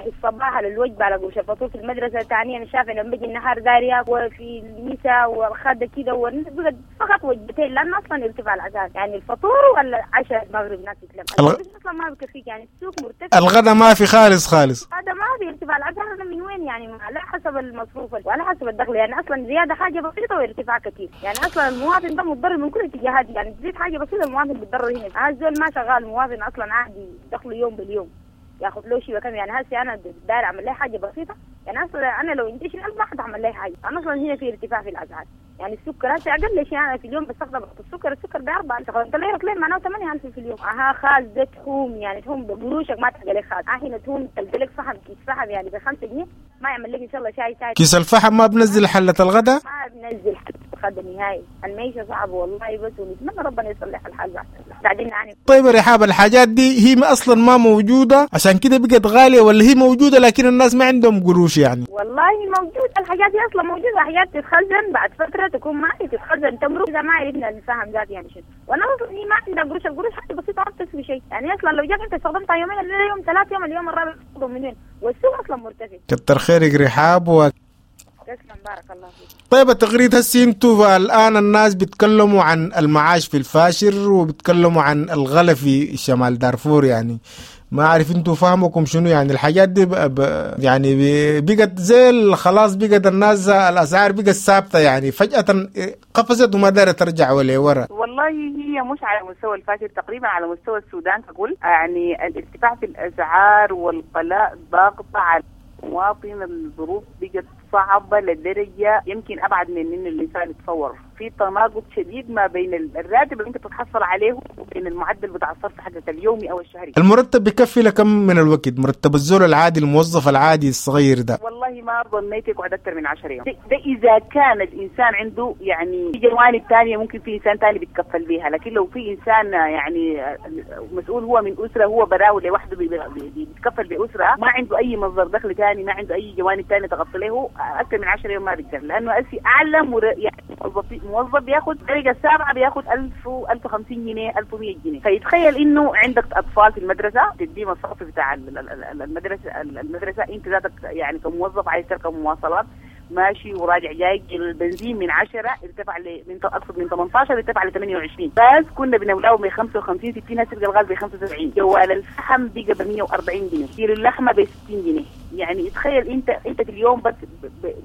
الصباح على الوجبة على قوش الفطور في المدرسة، ثانيا أنا شايفة لما بيجي النهار دارية وفي المساء والغدا كده، وبقت فقط وجبتين، لأن أصلا ارتفاع الأسعار، يعني الفطور ولا عشاء المغرب ناس تتلم الغ... أصلا ما بكفيك، يعني السوق مرتفع. الغدا ما في خالص خالص، الغدا ما في، ارتفاع الأسعار أنا من وين يعني؟ على حسب المصروف وعلى حسب الدخل، يعني أصلا زيادة حاجة بسيطة وارتفاع كثير، يعني أصلا المواطن ده متضرر من كل الاتجاهات، يعني تزيد حاجة بسيطة المواطن بيتضرر هنا. الزول ما شغال، المواطن أصلا عادي دخله يوم باليوم ياخذ له شيء وكم، يعني هسه انا داير اعمل لي حاجة بسيطة، يعني اصلا انا لو انتشر الف ما حتعمل لي حاجة، انا اصلا هنا في ارتفاع في الاسعار. يعني السكر هسه اقل شيء انا في اليوم بستخدم السكر، السكر باربعة، استخدمت لي رطلين معناه ثمانية ألف في اليوم. اها خاز ده تحوم يعني تحوم بقروشك ما تلقى لك خاز، هنا تحوم تلقى لك فحم كيس فحم يعني بخمسة جنيه ما يعمل لك ان شاء الله شاي شاي. كيس الفحم ما بنزل حلة الغداء؟ ما بنزل حلة الغداء نهائي، المعيشة صعبة والله، بس ونتمنى ربنا يصلح الحال بعد بعدين يعني. طيب رحاب، الحاجات دي هي اصلا ما موجودة عشان كده بقت غالية، ولا هي موجودة لكن الناس ما عندهم قروش يعني؟ والله موجود، الحاجات دي اصلا موجودة، حاجات تتخزن بعد فترة تكون ما تتخزن تمرق، اذا ما عرفنا نفهم ذات يعني شنو. وانا اصلا هي ما عندها قروش، القروش حتى بسيطة ما بتسوي شيء يعني، اصلا لو جاك انت استخدمتها يومين يوم ثلاث يوم اليوم الرابع من وين؟ والسوق اصلا مرتفع. كتر خيرك رحاب و تسلم، بارك الله فيك. طيب التغريد هسي انتوا الان الناس بيتكلموا عن المعاش في الفاشر وبيتكلموا عن الغلا في شمال دارفور، يعني ما اعرف انتوا فهمكم شنو يعني الحاجات دي ب... ب... يعني بقت زي خلاص، بقت الناس الاسعار بقت ثابتة يعني، فجاة قفزت وما دارت ترجع ولا ورا. والله هي مش على مستوى الفاشر، تقريبا على مستوى السودان ككل، يعني الارتفاع في الاسعار والغلاء ضاغط على المواطن، الظروف بقت صعبة لدرجة يمكن أبعد من إن الإنسان يتصور. في تناقض شديد ما بين الراتب اللي أنت بتتحصل عليه وبين المعدل بتاع الصرف حقك اليومي أو الشهري. المرتب بكفي لكم من الوقت؟ مرتب الزول العادي الموظف العادي الصغير ده والله ما ظنيت يقعد أكثر من عشرة يوم. ده, ده إذا كان الإنسان عنده يعني في جوانب ثانية ممكن في إنسان ثاني بيتكفل بيها، لكن لو في إنسان يعني مسؤول هو من أسرة، هو براو لوحده بيتكفل بأسرة، ما عنده أي مصدر دخل ثاني، ما عنده أي جوانب ثانية تغطي له، أكثر من عشرة يوم ما بيقدر، لأنه أسي أعلى مر... يعني موظف موظف بياخد درجة السابعة بياخد ألف ألف وخمسين جنيه ألف ومية جنيه، فيتخيل إنه عندك أطفال في المدرسة تدي مصاريف بتاع المدرسة المدرسة أنت ذاتك يعني كموظف عايز تركب مواصلات ماشي وراجع جاي، البنزين من عشرة ارتفع ل من اقصد من ثمانية عشر ارتفع ل ثمانية وعشرين، بس كنا بنولاه ب خمسة وخمسين ستين، هسه الغاز ب خمسة وسبعين، جوال الفحم بقى ب مية وأربعين جنيه، كيلو اللحمة ب ستين جنيه. يعني تخيل انت انت في اليوم بس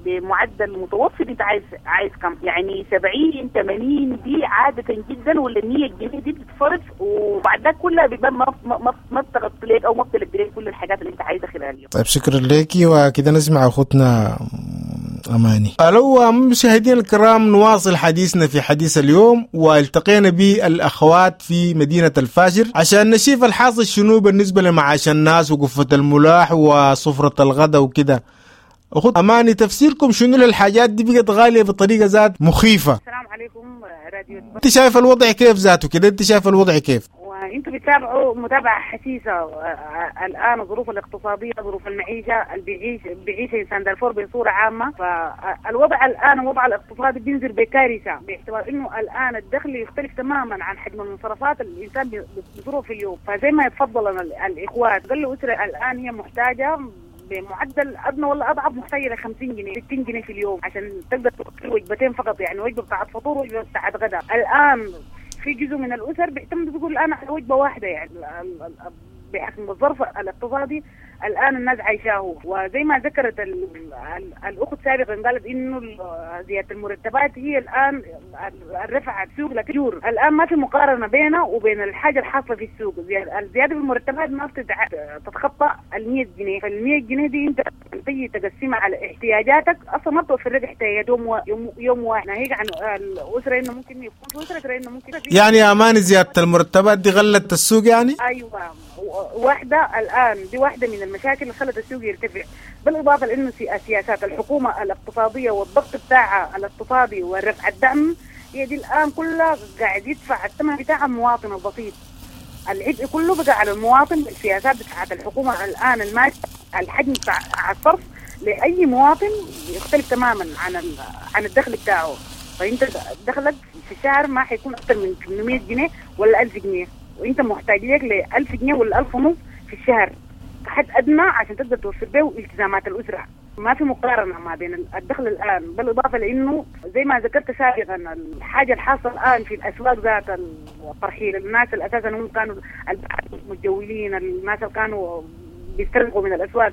بمعدل متوسط انت عايز عايز كم؟ يعني سبعين ثمانين دي عادة جدا، ولا مية جنيه دي بتتصرف، وبعد ده كلها بيبقى ما ما ما بتغطي لك او ما بتلبي لك كل الحاجات اللي انت عايزها خلال اليوم. طيب شكرا لك، وكده نسمع اخوتنا أماني. ألو مشاهدينا الكرام، نواصل حديثنا في حديث اليوم، والتقينا بالأخوات في مدينة الفاشر عشان نشوف الحاصل شنو بالنسبة لمعاش الناس وقفة الملاح وصفرة الغداء وكده. أخت أماني، تفسيركم شنو للحاجات دي بقت غالية بطريقة ذات مخيفة؟ السلام عليكم راديو. أنت شايف الوضع كيف ذاته كده؟ أنت شايف الوضع كيف؟ وانتم بتتابعوا متابعة حثيثة الآن الظروف الاقتصادية، ظروف المعيشة اللي بيعيش بيعيش إنسان دارفور بصورة عامة. فالوضع الآن الوضع الاقتصادي بينزل بكارثة، باعتبار إنه الآن الدخل يختلف تماما عن حجم المنصرفات اللي الإنسان بيصرفه في اليوم. فزي ما يتفضل الإخوات قالوا أسرة الآن هي محتاجة بمعدل أدنى ولا أضعف محتاجة ل خمسين جنيه ستين جنيه في اليوم عشان تقدر تأكل وجبتين فقط، يعني وجبة بتاعت فطور ووجبة بتاعت غداء. الآن في جزء من الأسر بيعتمد بيقول الآن على وجبة واحدة، يعني بحكم الظرف الاقتصادي الآن الناس عايشاه. وزي ما ذكرت ال ال الأخت سابقا قالت إنه زيادة المرتبات هي الآن رفعت السوق لكن الآن ما في مقارنة بينها وبين الحاجة الحاصلة في السوق. الزيادة في المرتبات ما بتتخطى ال مية جنيه، فال مية جنيه دي أنت تيجي تقسمها على احتياجاتك أصلا ما بتوفر لك احتياجات يوم يوم يوم واحد، ناهيك عن الأسرة إنه ممكن يكون في أسرة إنه ممكن يعني يا أمان زيادة المرتبات دي غلت السوق يعني؟ أيوة واحدة الآن دي واحدة من المشاكل اللي خلت السوق يرتفع، بالإضافة لأنه سياسات الحكومة الاقتصادية والضغط بتاعها الاقتصادي والرفع الدعم هي دي الآن كلها قاعد يدفع الثمن بتاع المواطن البسيط. العبء كله بقى على المواطن. السياسات بتاعت الحكومة الآن الماشية الحجم بتاع الصرف لأي مواطن يختلف تماما عن عن الدخل بتاعه. فأنت دخلك في الشهر ما حيكون أكثر من ثمانمية جنيه ولا ألف جنيه، وانت محتاج لك ل ألف جنيه ولا ألف ونص في الشهر كحد ادنى عشان تقدر توفر به التزامات الاسرة. ما في مقارنة ما بين الدخل الان، بالاضافة لانه زي ما ذكرت سابقا الحاجة الحاصلة الان في الاسواق ذات الترحيل، الناس اللي اساسا هم كانوا المتجولين، الناس اللي كانوا بيسترقوا من الاسواق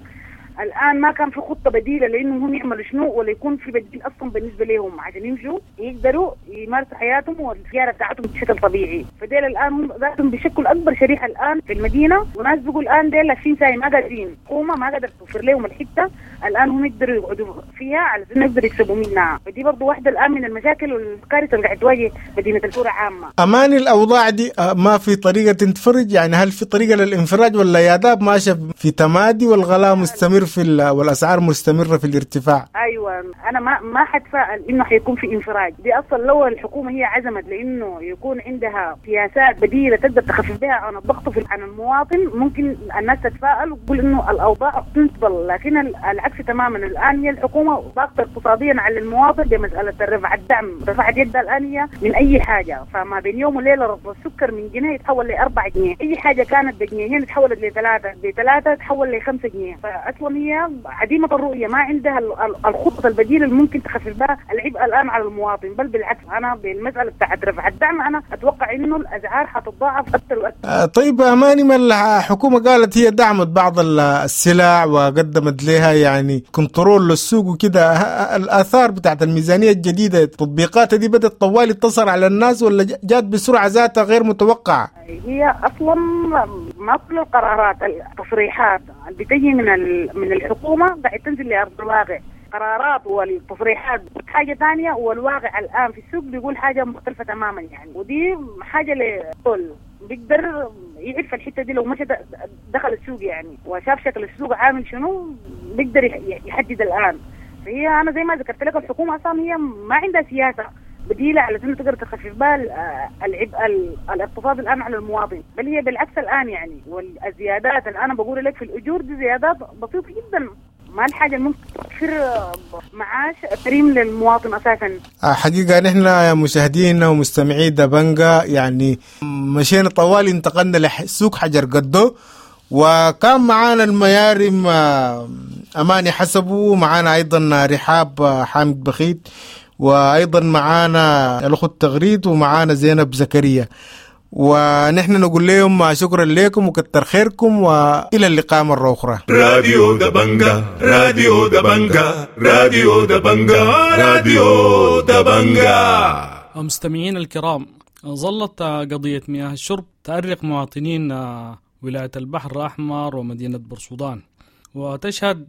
الان ما كان في خطه بديله لانهم هم يعملوا شنو، ولا يكون في بديل اصلا بالنسبة لهم عشان يمشوا يقدروا يمارسوا حياتهم والزيارة بتاعتهم بشكل طبيعي. فديل الان هم ذاتهم بيشكلوا اكبر شريحة الان في المدينة، وناس بيقول الان ديل لافين ساي ما قادرين، حكومة ما قادرة توفر لهم الحتة الان هم يقدروا يقعدوا فيها على اساس يقدروا يكسبوا منها. فدي برضه واحدة الان من المشاكل والكارثه اللي قاعد تواجه مدينة الفور عامة. اماني الاوضاع دي ما في طريقه تنفرج؟ يعني هل في طريقه للانفراج ولا يا داب ماشية في تمادي والغلاء مستمر في والاسعار مستمرة في الارتفاع؟ ايوه انا ما ما حتفائل انه حيكون في انفراج، دي اصلا لو الحكومة هي عزمت لانه يكون عندها سياسات بديله تقدر تخفف بها عن الضغط في عن المواطن ممكن الناس تتفائل وتقول انه الاوضاع تنتظل، لكن العكس تماما. الان هي الحكومة ضاغطة اقتصاديا على المواطن بمسالة رفع الدعم، رفعت يدها الان هي من اي حاجة، فما بين يوم وليلة رفع السكر من جنيه يتحول لأربعة جنيه، اي حاجة كانت بجنيهين تحولت لثلاثة، بثلاثة تحول لخمسة جنيه. فاصلا هي عديمه الرؤية، ما عندها الخطط البديلة اللي ممكن تخفف بها العبء الان على المواطن، بل بالعكس انا بالمسالة بتاعت رفع الدعم انا اتوقع انه الاسعار حتتضاعف اكثر واكثر. طيب اماني، ما الحكومة قالت هي دعمت بعض السلع وقدمت لها يعني control للسوق وكده، الاثار بتاعت الميزانية الجديدة التطبيقات دي بدات طوالي تصل على الناس ولا جات بسرعة ذاتها غير متوقعه؟ هي اصلا ما كل القرارات التصريحات اللي بتجي من من الحكومة قاعد تنزل لارض الواقع، قرارات والتصريحات حاجة ثانية والواقع الان في السوق بيقول حاجة مختلفة تماما يعني، ودي حاجة لكل بيقدر يعرف الحتة دي لو مشى دخل السوق يعني وشاف شكل السوق عامل شنو بيقدر يحدد الان. فهي انا زي ما ذكرت لك الحكومة اصلا هي ما عندها سياسة بديله على انه تقدر تخفف بها العبء الاقتصادي الان على المواطن، بل هي بالعكس الان يعني. والزيادات اللي انا بقول لك في الاجور دي زيادات بسيطة جدا، ما الحاجة اللي ممكن توفر معاش كريم للمواطن اساسا. حقيقة نحن يا مشاهدينا ومستمعي دبنجا يعني مشينا طوال انتقلنا لسوق حجر قدو، وكان معانا الميارم اماني حسبو، ومعانا ايضا رحاب حامد بخيت، وايضا معانا الاخت تغريد، ومعانا زينب زكريا. ونحن نقول لهم شكرا لكم وكتر خيركم، والى اللقاء مرة اخرى. راديو دبنجا، راديو دبنجا، راديو دبنجا، راديو دبنجا. مستمعين الكرام، ظلت قضية مياه الشرب تأرق مواطنين ولاية البحر الأحمر ومدينة بورسودان، وتشهد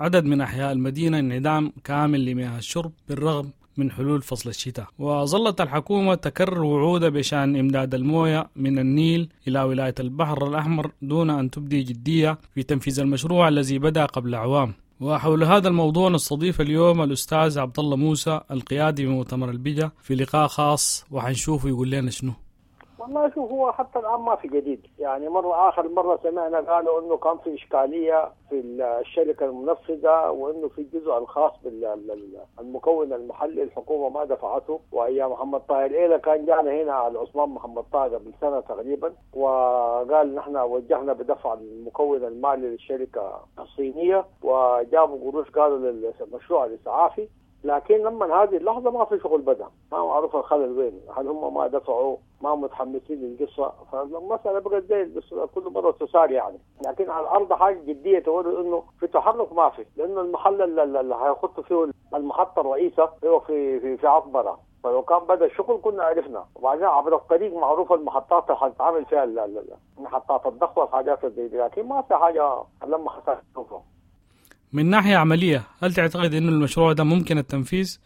عدد من أحياء المدينة انعدام كامل لمياه الشرب بالرغم من حلول فصل الشتاء. وظلت الحكومة تكرر وعودها بشأن إمداد الموية من النيل إلى ولاية البحر الأحمر دون أن تبدي جدية في تنفيذ المشروع الذي بدأ قبل أعوام. وحول هذا الموضوع نستضيف اليوم الأستاذ عبد الله موسى القيادي بمؤتمر البجا في لقاء خاص، وحنشوفه يقول لنا شنو. والله شوف، هو حتى الآن ما في جديد يعني. مرة آخر مرة سمعنا قالوا إنه كان في إشكالية في الشركة المنفذة، وإنه في الجزء الخاص بالمكون المحلي الحكومة ما دفعته. وأيام محمد طاهر إيلا كان جانا هنا على عثمان محمد طاهر قبل سنة تقريبا، وقال نحن وجهنا بدفع المكون المالي للشركة الصينية، وجابوا قروش قالوا للمشروع الإسعافي. لكن لما هذه اللحظة ما في شغل بدأ، ما معروف الخلل وين، هل هم ما دفعوا، ما متحمسين للقصة، فالمسألة بقت زي كل مرة تسار يعني. لكن على الأرض حاجة جدية تقول إنه في تحرك ما في، لأنه المحل اللي هيخط فيه المحطة الرئيسة هو في في في عطبرة، فلو كان بدأ الشغل كنا عرفنا. وبعدين عبر الطريق معروفة المحطات اللي هتتعامل فيها، محطات الضخ والحاجات زي دي، لكن ما في حاجة لما حصلت. من ناحية عملية، هل تعتقد إنه المشروع ده ممكن التنفيذ؟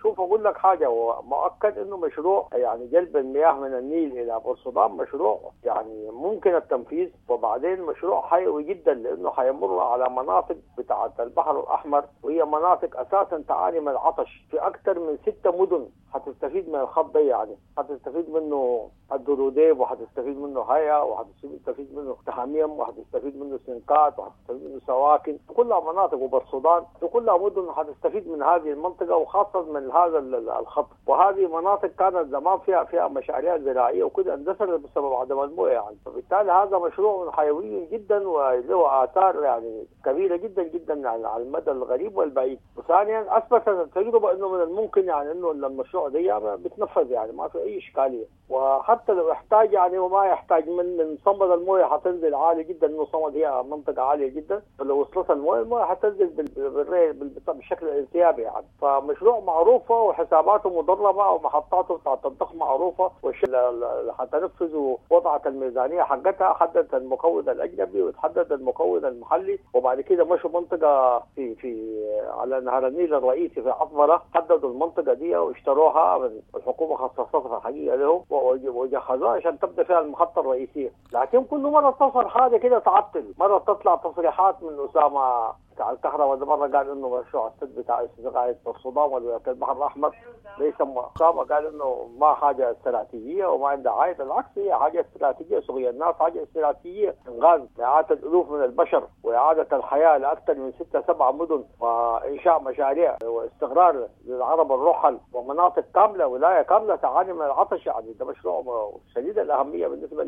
شوف أقول لك حاجة، هو مؤكد إنه مشروع يعني جلب المياه من النيل إلى بورسودان مشروع يعني ممكن التنفيذ، وبعدين مشروع حيوي جدا لأنه حيمر على مناطق بتاعة البحر الأحمر، وهي مناطق أساسا تعاني من العطش. في أكثر من ستة مدن هتستفيد من الخط ده، يعني هتستفيد منه الدروديب، وهتستفيد منه هيا، وهتستفيد منه تحاميم، وهتستفيد منه سنقات، وهتستفيد منه سواكن، كلها مناطق، وبورسودان كلها مدن هتستفيد من هذه المنطقة، وخاصة من من هذا الخط. وهذه مناطق كانت زمان فيها فيها مشاريع زراعية وكده اندثرت بسبب عدم المويه يعني، فبالتالي هذا مشروع حيوي جدا وله آثار يعني كبيرة جدا جدا يعني على المدى القريب والبعيد. وثانيا اثبتت التجربة انه من الممكن يعني انه المشروع ده بيتنفذ يعني ما في اي اشكالية، وحتى لو احتاج يعني وما يحتاج من من صمد المويه حتنزل عالي جدا، انه صمد هي منطقة عالية جدا، فلو وصلت المويه المويه حتنزل بالري بالشكل الانسيابي يعني. فمشروع معروفة وحساباته مدربه ومحطاته بتاعت الضخ معروفة، واللي حتنفذه وضعت الميزانية حقتها، حددت المكون الاجنبي وتحدد المكون المحلي، وبعد كده مشوا منطقة في في على نهر النيل الرئيسي في عطبره، حددوا المنطقة دي واشتروها، الحكومة خصصتها حقيقة لهم وجهزوها عشان تبدا فيها المحطة الرئيسية. لكن كل مرة تصل حاجة كده تعطل، مرة تطلع تصريحات من اسامة بتاع الكهرباء ده، مرة قال انه مشروع السد بتاع استغاثة الصدام ولا البحر الاحمر ليس اسامة قال انه ما حاجة استراتيجية وما عندها عائد، بالعكس هي حاجة استراتيجية، سقي الناس حاجة استراتيجية، انغاز مئات الالوف من البشر واعاده الحياة لاكثر من ستة سبعة مدن، وانشاء مشاريع واستقرار للعرب الرحل ومناطق كاملة ولاية كاملة تعاني من العطش يعني. ده مشروع شديد الاهمية بالنسبة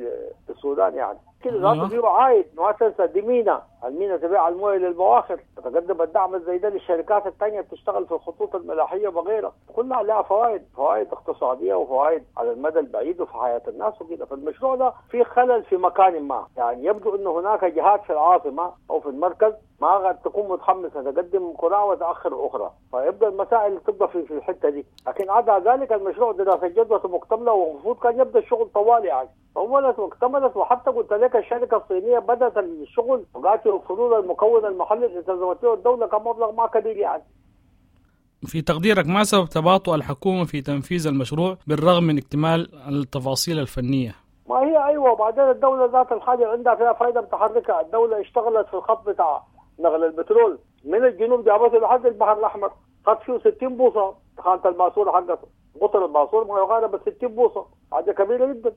للسودان يعني. كده ذاته فيه عائد، ما تنسى دي مينا، المينا تبيع المويه للبواخر، تقدم الدعم زي ده للشركات الثانية بتشتغل في الخطوط الملاحيه وغيرها، كلها لها فوائد، فوائد اقتصادية وفوائد على المدى البعيد وفي حياة الناس وكده. فالمشروع ده في خلل في مكان ما، يعني يبدو انه هناك جهات في العاصمة او في المركز ما قد تكون متحمسة تقدم قراءة وتاخر اخرى، فيبقى المسائل تبقى في في الحتة دي. لكن عدا ذلك المشروع دراسة جدوى مكتملة ومفروض كان يبدا الشغل طوال يعني، طولت واكتملت. وحتى قلت لك الشركة الصينية بدات الشغل وقالت يوفروا المكون المحلي اللي التزمت له الدولة كان مبلغ ما كبير يعني. في تقديرك ما سبب تباطؤ الحكومة في تنفيذ المشروع بالرغم من اكتمال التفاصيل الفنية؟ ما هي ايوه، وبعدين الدولة ذات الحاجة عندها فيها فائدة متحركة، الدولة اشتغلت في الخط بتاع نقل البترول من الجنوب جابته لحد البحر الاحمر، خط فيه ستين بوصه خانه الماسورة حقته، قطر الماسور ما يقارب ستين بوصه، حاجة كبيرة جدا.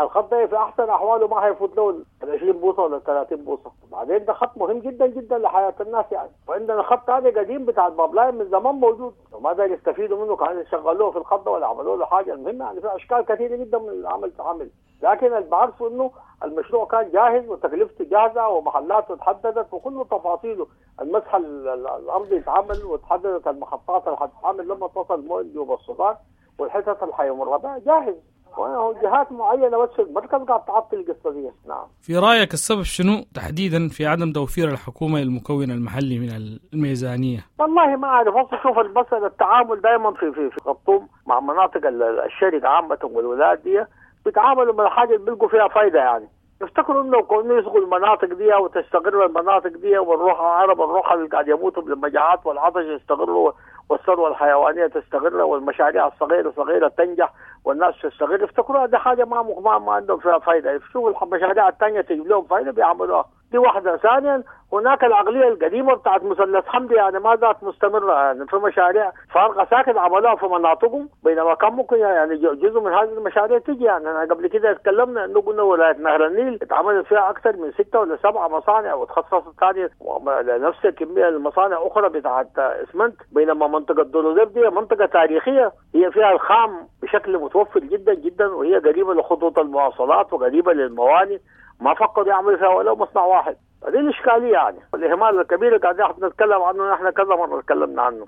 الخط ده في احسن احواله ما هيفوت له ال عشرين بوصه ولا ثلاثين بوصه، بعدين ده خط مهم جدا جدا لحياه الناس يعني. وعندنا خط ثاني قديم بتاع ال pipeline من زمان موجود وما داروا يستفيدوا منه، كانوا يشغلوه في الخط ده ولا عملوا له حاجة. المهم يعني في اشكال كثيرة جدا من العمل تعمل، لكن اللي بعرفه انه المشروع كان جاهز وتكلفته جاهزة ومحلاته تحددت وكل تفاصيله، المسح الارضي اتعمل وتحددت المحطات اللي حتتعمل لما تصل مويه السودان والحتت اللي حيمر بها جاهز، وجهات معينة بس في المركز قاعد تعطل القصة دي. نعم. في رايك السبب شنو تحديدا في عدم توفير الحكومة للمكون المحلي من الميزانية؟ والله ما اعرف، اصل شوف المسالة التعامل دائما في في في خرطوم مع مناطق الشرق عامة والولايات دي بيتعاملوا مع الحاجة اللي بيلقوا فيها فايده يعني. يفتكروا انه كانوا يسقوا المناطق دي وتستقر المناطق دي والروح العرب الروح اللي قاعد يموتوا بالمجاعات والعطش يستقروا والثروة الحيوانية تستقر والمشاريع الصغيرة صغيرة تنجح والناس تستقر، يفتكروها دي حاجة ما ما, ما عندهم فيها فايده، يشوفوا المشاريع الثانية تجيب لهم فايده بيعملوها. دي واحدة. ثانيا هناك العقلية القديمة بتاعت مثلث حمدي يعني ما زالت مستمرة، يعني في مشاريع فارغة ساكت عملوها في مناطقهم بينما كان ممكن يعني جزء من هذه المشاريع تجي. يعني انا قبل كده اتكلمنا انه قلنا ولاية نهر النيل اتعملت فيها اكثر من ستة ولا سبعة مصانع وتخصصت ثانية نفس الكمية المصانع اخرى بتاعت اسمنت، بينما منطقة دولوديب دي منطقة تاريخية هي فيها الخام بشكل متوفر جدا جدا وهي قريبه لخطوط المواصلات وقريبه للموانئ، ما فكروا يعملوا فيها ولو مصنع واحد. هذه الإشكالية يعني الإهمال الكبير اللي قاعدين نتكلم عنه، نحن كذا مرة تكلمنا عنه.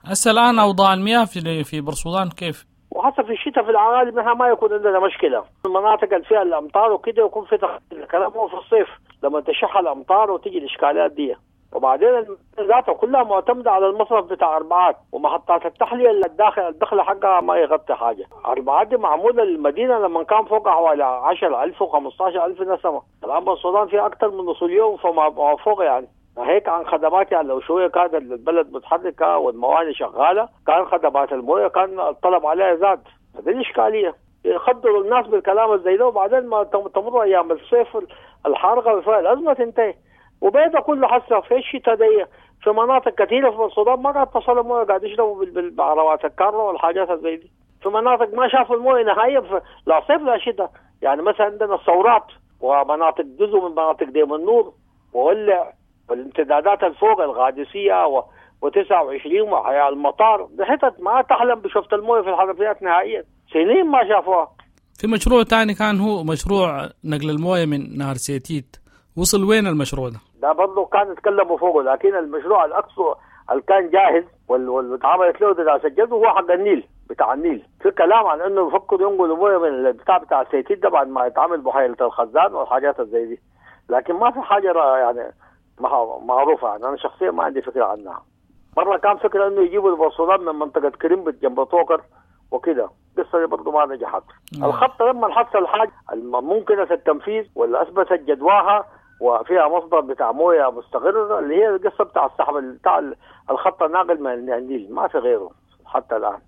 هسه الآن أوضاع المياه في في برسودان كيف؟ وحتى في الشتاء في العوالم منها ما يكون عندنا مشكلة، المناطق اللي فيها الأمطار وكده يكون في تخطيط، الكلام هو في الصيف لما تشح الأمطار وتيجي الإشكاليات دي. وبعدين ذاته كلها معتمدة على المصرف بتاع أربعات ومحطات التحلية اللي الداخل الدخل حقها ما يغطي حاجة. أربعات دي معمولة للمدينة لما كان فوق حوالي عشرة ألف وخمسة ألف نسمة، الآن السودان فيها أكثر من نص اليوم فما فوق يعني. هيك عن خدمات يعني لو شوية كانت البلد متحركة والموانئ شغالة كان خدمات الموية كان الطلب عليها زاد. هذه الإشكالية، يخدروا الناس بالكلام الزي ده وبعدين ما تمر أيام الصيف الحارقة فيها الأزمة تنتهي. وبيضة كله حسه في الشتاء دي في مناطق كثيرة في السودان ما قاعد تصل المويه، قاعد يشربوا بالعربات الكارة والحاجات زي دي. في مناطق ما شافوا المويه نهائيا لا صيف لا شتاء، يعني مثلا عندنا الثورات ومناطق جزء من مناطق ديم النور وولع والامتدادات الفوق الغادسية وتسعة وعشرين وأحياء المطار، بحتت ما تحلم بشفت الموية في الحنفيات نهائيا، سنين ما شافوها. في مشروع تاني كان هو مشروع نقل الموية من نهر سيتيت، وصل وين المشروع ده؟ ده برضه كان يتكلموا فوقه، لكن المشروع الأقصى اللي كان جاهز واللي اتعملت له دراسة جدوى هو حق النيل بتاع النيل. في كلام عن انه يفكروا ينقلوا مويه من البتاع بتاع السيتيت ده بعد ما يتعمل بحيرة الخزان والحاجات زي دي، لكن ما في حاجة يعني معروفة، يعني انا شخصيا ما عندي فكرة عنها. مرة كان فكرة انه يجيبوا البورسودان من منطقة كريمبت جنب طوكر وكده، القصة دي برضه ما نجحت. الخطة لما حصل حاجة ممكنة التنفيذ ولا اثبتت جدواها وفيها مصدر بتاع مويه مستقر اللي هي القصة بتاع السحب بتاع الخط الناقل من النيل، ما في غيره حتى الان.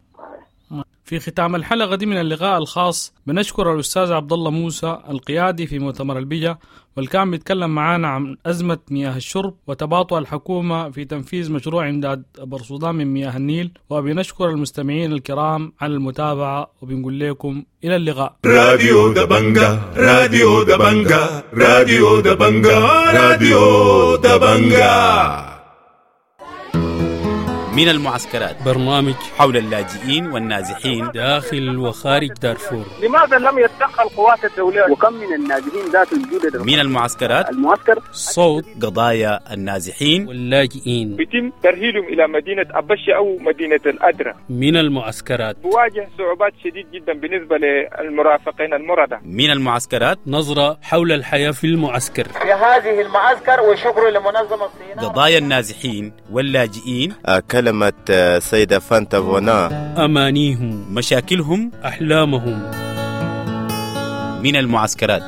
في ختام الحلقة دي من اللقاء الخاص بنشكر الأستاذ عبد الله موسى القيادي في مؤتمر البجا، واللي كان بيتكلم معانا عن أزمة مياه الشرب وتباطؤ الحكومة في تنفيذ مشروع إمداد برسودان من مياه النيل. وبنشكر المستمعين الكرام على المتابعة، وبنقول لكم إلى اللقاء. راديو دبنجا، راديو دبنجا، راديو دبنجا، راديو دبنجا. من المعسكرات، برنامج حول اللاجئين والنازحين داخل وخارج دارفور. لماذا لم يتدخل القوات الدولية؟ وكم من النازحين ذات الجودة؟ من المعسكرات، المعسكر صوت قضايا النازحين واللاجئين، بيتم ترهيلهم إلى مدينة أبشة أو مدينة الأدرة. من المعسكرات بواجه صعوبات شديد جدا بالنسبة للمرافقين المرضى. من المعسكرات، نظرة حول الحياة في المعسكر، في هذه المعسكر، وشكر لمنظمة الصين. قضايا النازحين واللاجئين، كلمة سيدة فانتا فونا، أمانيهم، مشاكلهم، أحلامهم. من المعسكرات.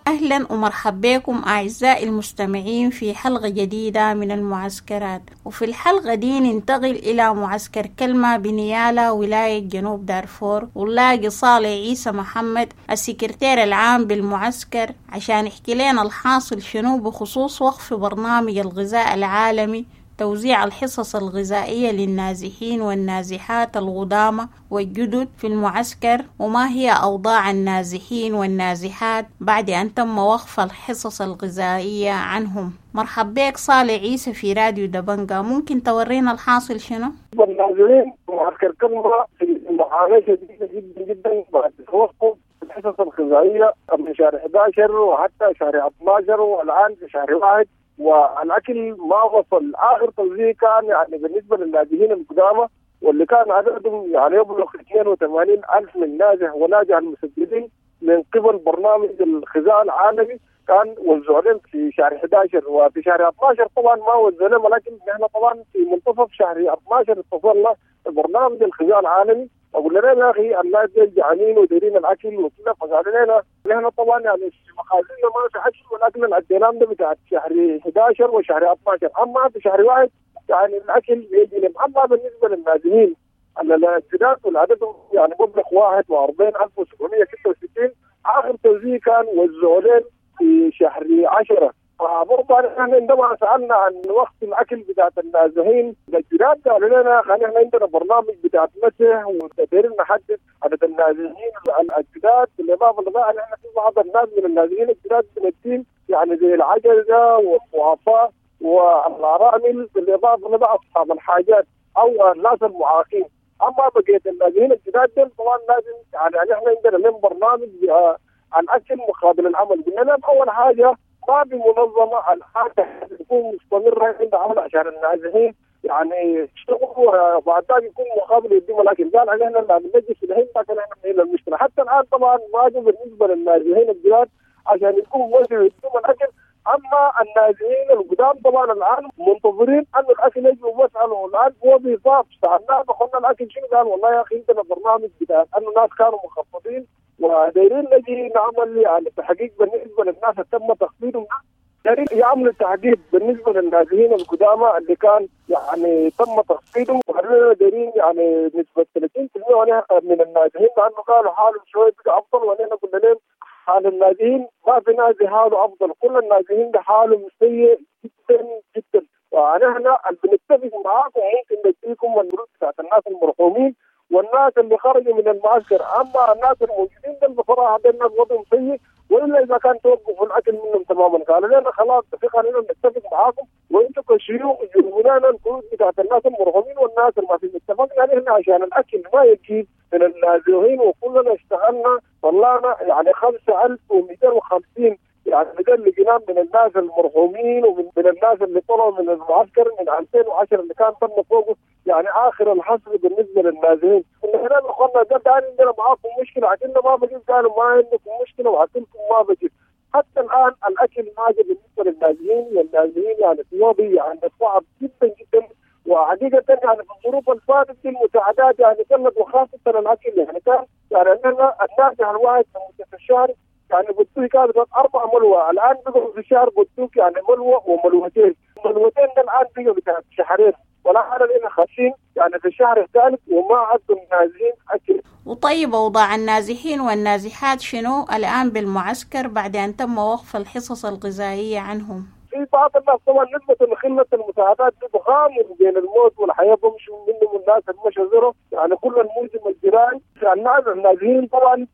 أهلا ومرحبا بكم أعزائي المستمعين في حلقة جديدة من المعسكرات. وفي الحلقة دي ننتقل إلى معسكر كلمة بنيالا ولاية جنوب دارفور، ونلاقي صالح عيسى محمد السكرتير العام بالمعسكر عشان يحكي لنا الحاصل شنو بخصوص وقف برنامج الغذاء العالمي توزيع الحصص الغذائية للنازحين والنازحات القدامى والجدد في المعسكر، وما هي أوضاع النازحين والنازحات بعد أن تم وقف الحصص الغذائية عنهم. مرحب بك صالح عيسى في راديو دبنجا، ممكن تورينا الحاصل شنو؟ النازحين معسكر كلمة في معاناة شديدة جدا جدا بعد توقف الحصص الغذائية من شهر أحد عشر وحتى شهر اثني عشر والآن في شهر واحد، والاكل ما وصل. اخر توزيع كان يعني بالنسبة للاجئين القدامى واللي كان عددهم يعني يبلغ اثنين وثمانين ألف من نازح وناجح المسجلين من قبل برنامج الغذاء العالمي، كان وزعوا لهم في شهر أحد عشر وفي شهر اثني عشر طبعا ما وزعوا لهم، ولكن نحن طبعا في منتصف شهر اثني عشر اتصلنا برنامج الغذاء العالمي وقلنا لهم يا اخي الناس دي جعانين ودايرين الاكل وكذا، فقالوا لنا نحن طبعا يعني في مخازننا ما في اكل، ولكن الادينام ده بتاع شهر أحد عشر وشهر اثني عشر، اما في شهر واحد يعني الاكل بيجي لهم. اما بالنسبة للنازحين الجداد والعدد يعني مبلغ واحد وأربعين ألف وسبعمية وستة وستين، اخر توزيع كان وزعوا لهم في شهر عشرة. فبرضه نحن عندما سالنا عن وقت الاكل بتاعت النازحين الجداد قالوا لنا نحن عندنا برنامج بتاعت مسح ودايرين نحدد عدد النازحين الجداد. بالاضافة لذلك نحن في بعض الناس من النازحين الجداد بندين يعني زي العجزة والضعفاء والارامل، بالاضافة لبعض اصحاب الحاجات او الناس المعاقين. اما بقية النازحين الجداد دول طبعا لازم يعني نحن عندنا لهم برنامج الاكل مقابل العمل. قلنا لهم اول حاجة ما بمنظمة الحاجة تكون مستمرة عند عمل عشان النازحين يعني يشتغلوا وبعد ذلك يكون مقابل يديهم الاكل. قال احنا لا بنجي في الحين لكن احنا بنحل المشكلة. حتى الان طبعا ما بالنسبة للنازحين الجداد عشان يكون وزعوا يديهم الاكل. اما النازحين القدام طبعا الان منتظرين انه الاكل يجي وبسالوا الان هو بيضاف سالناه قلنا الاكل شنو؟ قال والله يا اخي عندنا برنامج بتاع انه الناس كانوا مخفضين ودايرين نجي نعمل يعني تحقيق بالنسبة للناس اللي تم تخفيضهم، دايرين يعملوا تحقيق بالنسبة للنازحين القدامى اللي كان يعني تم تخفيضهم، وقالوا دايرين يعني نسبه ثلاثين بالمئة من النازحين لانه قالوا حالهم شوية بقى افضل، ونحن قلنا لهم حال النازحين ما في نازح حاله افضل، كل النازحين بحالهم سيء جدا جدا. ونحن بنتفق معاكم ممكن نديكم الفلوس بتاعت الناس المرحومين والناس اللي خرجوا من المعسكر، اما الناس الموجودين دول بصراحه ده الناس وضعهم سيء، والا اذا كان توقفوا الاكل منهم تماما. قالوا لنا خلاص في خلينا نتفق معاكم وانتم كشيوخ جيبوا لنا الكروت بتاعت الناس المرحومين والناس اللي ما في. اتفقنا نحن عشان الاكل ما يجيب من النازحين، وكلنا اشتغلنا طلعنا يعني خمسة ألف ومئتين وخمسين يعني لجنان من الناس المرحومين ومن من الناس اللي طلعوا من المعسكر من ألفين وعشرة اللي كان تم فوقه يعني اخر الحصر بالنسبه للنازحين. نحن اخواننا ده ثاني عندنا معاكم مشكله، عشان ما بجيب، قالوا ما عندكم مشكله وعشانكم ما بجيب. حتى الان الاكل ما جاء بالنسبه للنازحين، والنازحين يعني في وضع يعني صعب جدا جدا. وحقيقه يعني في الظروف اللي فاتت دي المساعدات يعني قلت، وخاصه الاكل يعني كان يعني عندنا النازح الواحد في الشهر يعني بتوك كانت أربع ملوى، الآن بقوا في الشهر بتوك يعني ملوى وملوتين، ملوتين ده الآن بقوا بتاع شهرين، ولا على لنا خمسين يعني في الشهر الثالث وما عدوا النازحين أكل. وطيب أوضاع النازحين والنازحات شنو الآن بالمعسكر بعد أن تم وقف الحصص الغذائية عنهم؟ في بعض الناس طبعا نسبة قلة المساعدات دي بغامر بين الموت والحياة، بمشوا منهم الناس اللي مشوا زروا يعني كل الموسم الزراعي. الناس النازحين طبعا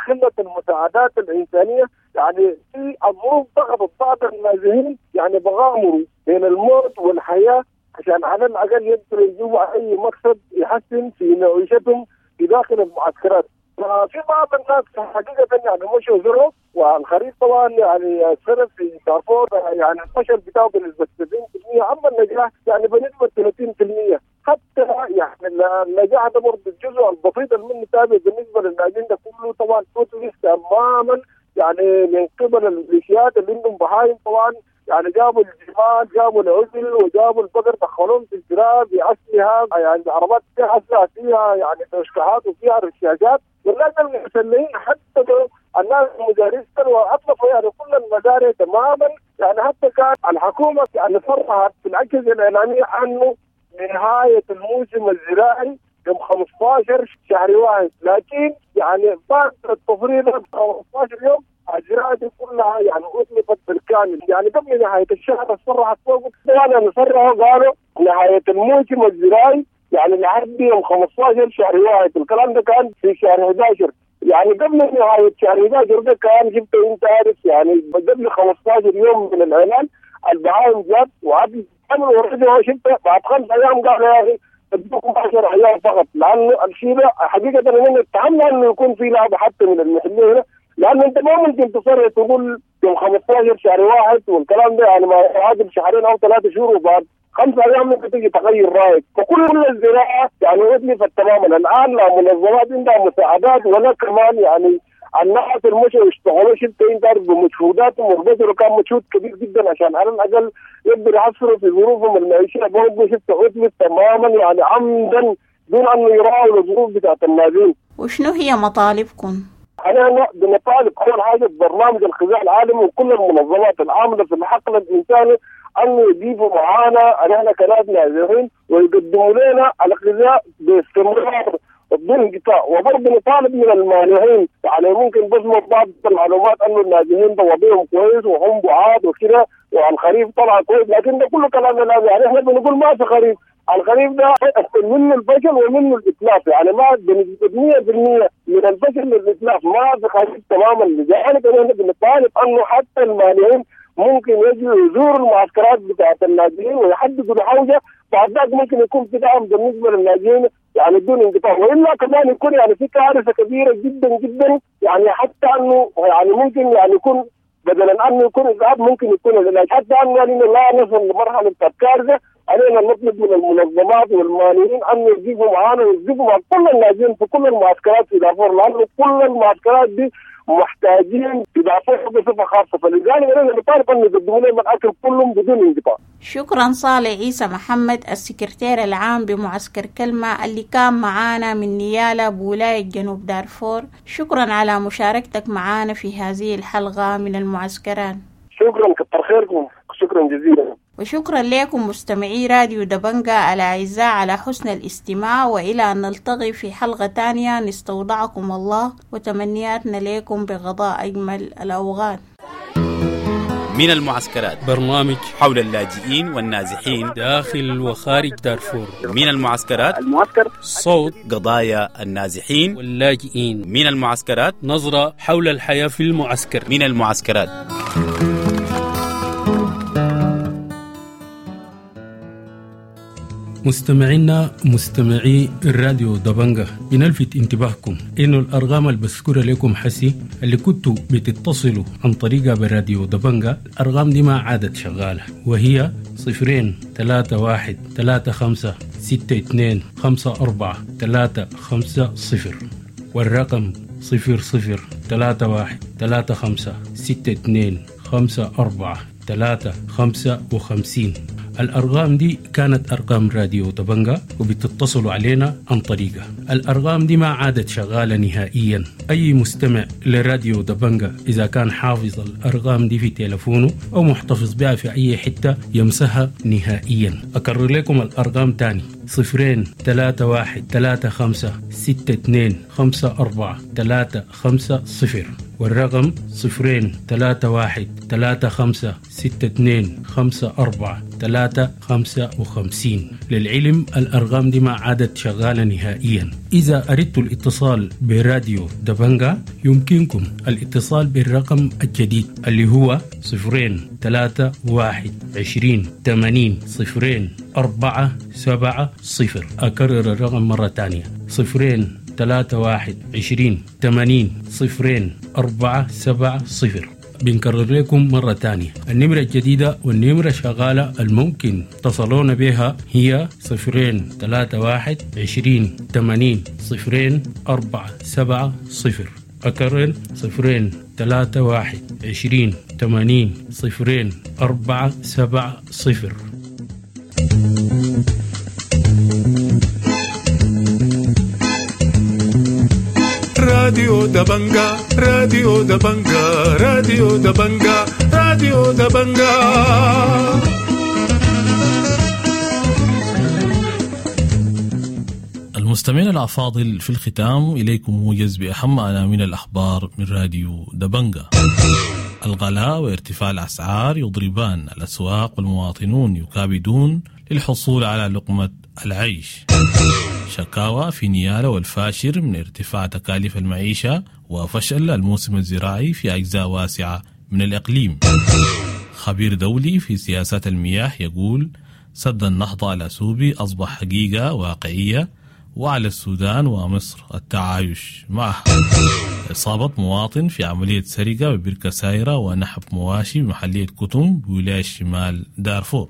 قلة المساعدات الإنسانية يعني في الظروف ضغطت بعض النازحين يعني بغامروا بين الموت والحياة عشان على الأقل يقدروا يجيبوا أي مقصد يحسن في معيشتهم في داخل المعسكرات. ففي بعض الناس حقيقة يعني مشوا زروا، والخريف طبعا يعني السنة في دارفور يعني الفشل بتاعه بنسبة سبعين بالمئة، أما النجاح يعني بنسبة ثلاثين بالمئة. حتى يعني النجاح ده برضه الجزء البسيط اللي تابع بالنسبة للناجين ده كله طبعا توتلس تماما يعني من قبل الميليشيات اللي عندهم بهايم طبعا، يعني جابوا الجمال، جابوا العجل، وجابوا البقر، دخلوهم في الزراعة بأسلحة يعني عربات فيها أسلحة فيها يعني تشكيحات وفيها رشاشات، والناس المسلحين حتى الناس المدارس وأطلقوا يعني كل المزارع تماما. يعني حتى كان الحكومة يعني صرحت في الأجهزة الإعلامية أنه نهاية الموسم الزراعي يوم خمسة عشر شهر واحد، لكن يعني بعد التفريغ خمسة عشر يوم الزراعة دي كلها يعني أطلقت بالكامل. يعني قبل نهاية الشهر صرحت فوق يعني صرحوا قالوا نهاية الموسم الزراعي يعني لحد يوم خمسة عشر شهر واحد، الكلام ده كان في شهر أحد عشر، يعني قبل نهاية شهر أحد عشر ده كان جبت انت عارف يعني قبل خمسة عشر يوم من الإعلان البهايم جات وعدل ورجعوا شفت بعد خمس أيام قالوا يا أخي ادوكم عشر أيام فقط، لأنه الشيء ده حقيقة إننا اتهمنا إنه يكون في لعبة حتى من المحلية هنا، لأنه أنت ما ممكن تصرح تقول يوم خمسة عشر شهر واحد والكلام ده يعني ما يعادل شهرين أو ثلاثة شهور وبعد خمسة أيام ممكن تيجي تغير رأيك. فكل الزراعة يعني أتلفت تماما الآن، لا منظمات عندها مساعدات ولا كمان يعني الناس المشوا يشتغلوا شفت انت عارف بمجهوداتهم، وبذلوا كان مجهود كبير جدا عشان على الاقل يقدروا يحصلوا في ظروفهم المعيشيه، برضه شفت عطلت تماما يعني عمدا دون ان يراعوا الظروف بتاعت النازحين. وشنو هي مطالبكم؟ احنا بنطالب اول حاجه ببرنامج الغذاء العالمي وكل المنظمات العامله في الحقل الانساني ان يجيبوا معانا نحن كناس نازحين ويقدموا لنا الغذاء باستمرار بدون انقطاع. وبرضه نطالب من المانحين يعني ممكن بس بعض المعلومات انه النازحين ده وضعهم كويس وهم بعاد وكده والخريف طلع كويس، لكن ده كله كلام لا يعني احنا بنقول ما في خريف، الخريف ده منه الفشل ومنه الاتلاف، يعني ما بنسبه مية بالمية من الفشل للاتلاف، ما في خريف تماما. لذلك احنا بنطالب انه حتى المانحين ممكن يجوا يزوروا المعسكرات بتاعت النازحين ويحددوا الحوجه، بعد ذاك ممكن يكون في دعم بالنسبه للنازحين يعني بدون انقطاع، والا كمان يكون يعني في كارثه كبيره جدا جدا، يعني حتى انه يعني ممكن يعني يكون بدلا انه يكون اسعاف ممكن يكون العلاج، حتى انه يعني لا نصل لمرحله الكارثه. علينا نطلب من المنظمات والمانحين ان يجيبوا معانا ويجيبوا مع كل النازحين في كل المعسكرات في دارفور، لانه كل المعسكرات دي محتاجين في دارفور بصفه خاصه، فلذلك انا نطالب ان يقدموا لهم الاكل كلهم بدون انقطاع. شكرا صالح عيسى محمد السكرتير العام بمعسكر كلمة اللي كان معانا من نيالا بولاية جنوب دارفور، شكرا على مشاركتك معانا في هذه الحلقة من المعسكران. شكرا كتر خيركم، شكرا جزيلا. وشكرا لكم مستمعي راديو دبنجا الأعزاء على حسن الاستماع، وإلى أن نلتقي في حلقة تانية نستودعكم الله وتمنياتنا لكم بغضاء أجمل الأوغاد. من المعسكرات، برنامج حول اللاجئين والنازحين داخل وخارج دارفور. من المعسكرات، المعسكر صوت قضايا النازحين واللاجئين. من المعسكرات، نظرة حول الحياة في المعسكر. من المعسكرات. مستمعينا مستمعي الراديو دبنجة، بنلفت انتباهكم انه الارقام اللي بذكرها لكم حسي اللي كنتوا بتتصلوا عن طريقها بالراديو دبنجة، الارقام دي ما عادت شغالة، وهي صفرين ثلاثة واحد ثلاثة خمسة ستة اثنين خمسة أربعة ثلاثة خمسة صفر، والرقم صفر صفر ثلاثة واحد ثلاثة خمسة ستة اثنين خمسة أربعة ثلاثة خمسة وخمسين. الأرقام دي كانت أرقام راديو دبنجة وبتتصلوا علينا عن طريقة. الأرقام دي ما عادت شغالة نهائيا. أي مستمع لراديو دبنجة إذا كان حافظ الأرقام دي في تلفونه أو محتفظ بها في أي حتة يمسها نهائيا. أكرر لكم الأرقام تاني: صفرين ثلاثة واحد ثلاثة خمسة ستة اثنين خمسة أربعة ثلاثة خمسة صفر، والرقم صفرين ثلاثة واحد ثلاثة خمسة ستة اثنين خمسة أربعة ثلاثة خمسة وخمسين. للعلم الأرقام دي ما عادت شغالة نهائيا. إذا أردتوا الاتصال براديو دبنجة يمكنكم الاتصال بالرقم الجديد اللي هو صفرين ثلاثة واحد عشرين ثمانين صفرين أربعة سبعة صفر. أكرر الرقم مرة تانية: صفرين ثلاثة واحد عشرين ثمانين صفرين أربعة سبعة صفر. بنكرر لكم مرة تانية النمرة الجديدة والنمرة شغالة الممكن تصلون بها هي صفرين ثلاثة واحد عشرين ثمانين صفرين أربعة سبعة صفر. أكرر: صفرين ثلاثة واحد عشرين ثمانين صفرين أربعة سبعة صفر. راديو دبنجة، راديو دبنجة، راديو دبنجة، راديو دبنجة. المستمعين الأفاضل، في الختام إليكم موجز بأهم عناوين الأخبار من راديو دبنجة. الغلاء وارتفاع الأسعار يضربان الأسواق والمواطنون يكابدون للحصول على لقمة العيش. شكاوى في نيالا والفاشر من ارتفاع تكاليف المعيشة وفشل الموسم الزراعي في أجزاء واسعة من الإقليم. خبير دولي في سياسات المياه يقول سد النهضة الأسوبي أصبح حقيقة واقعية وعلى السودان ومصر التعايش معها. إصابة مواطن في عملية سرقة ببركة سايرة ونحب مواشي بمحلية كتم بولاية شمال دارفور.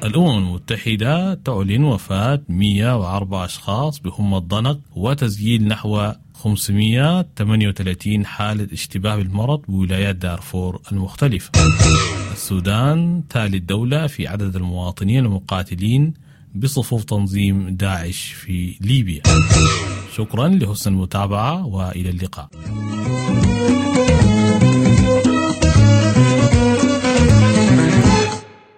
الأمم المتحدة تعلن وفاة مئة وأربعة أشخاص بهم الضنك وتسجيل نحو خمسمئة وثمانية وثلاثين حالة اشتباه بالمرض بولايات دارفور المختلفة. السودان ثالث دولة في عدد المواطنين المقاتلين بصفوف تنظيم داعش في ليبيا. شكرا لحسن المتابعة وإلى اللقاء.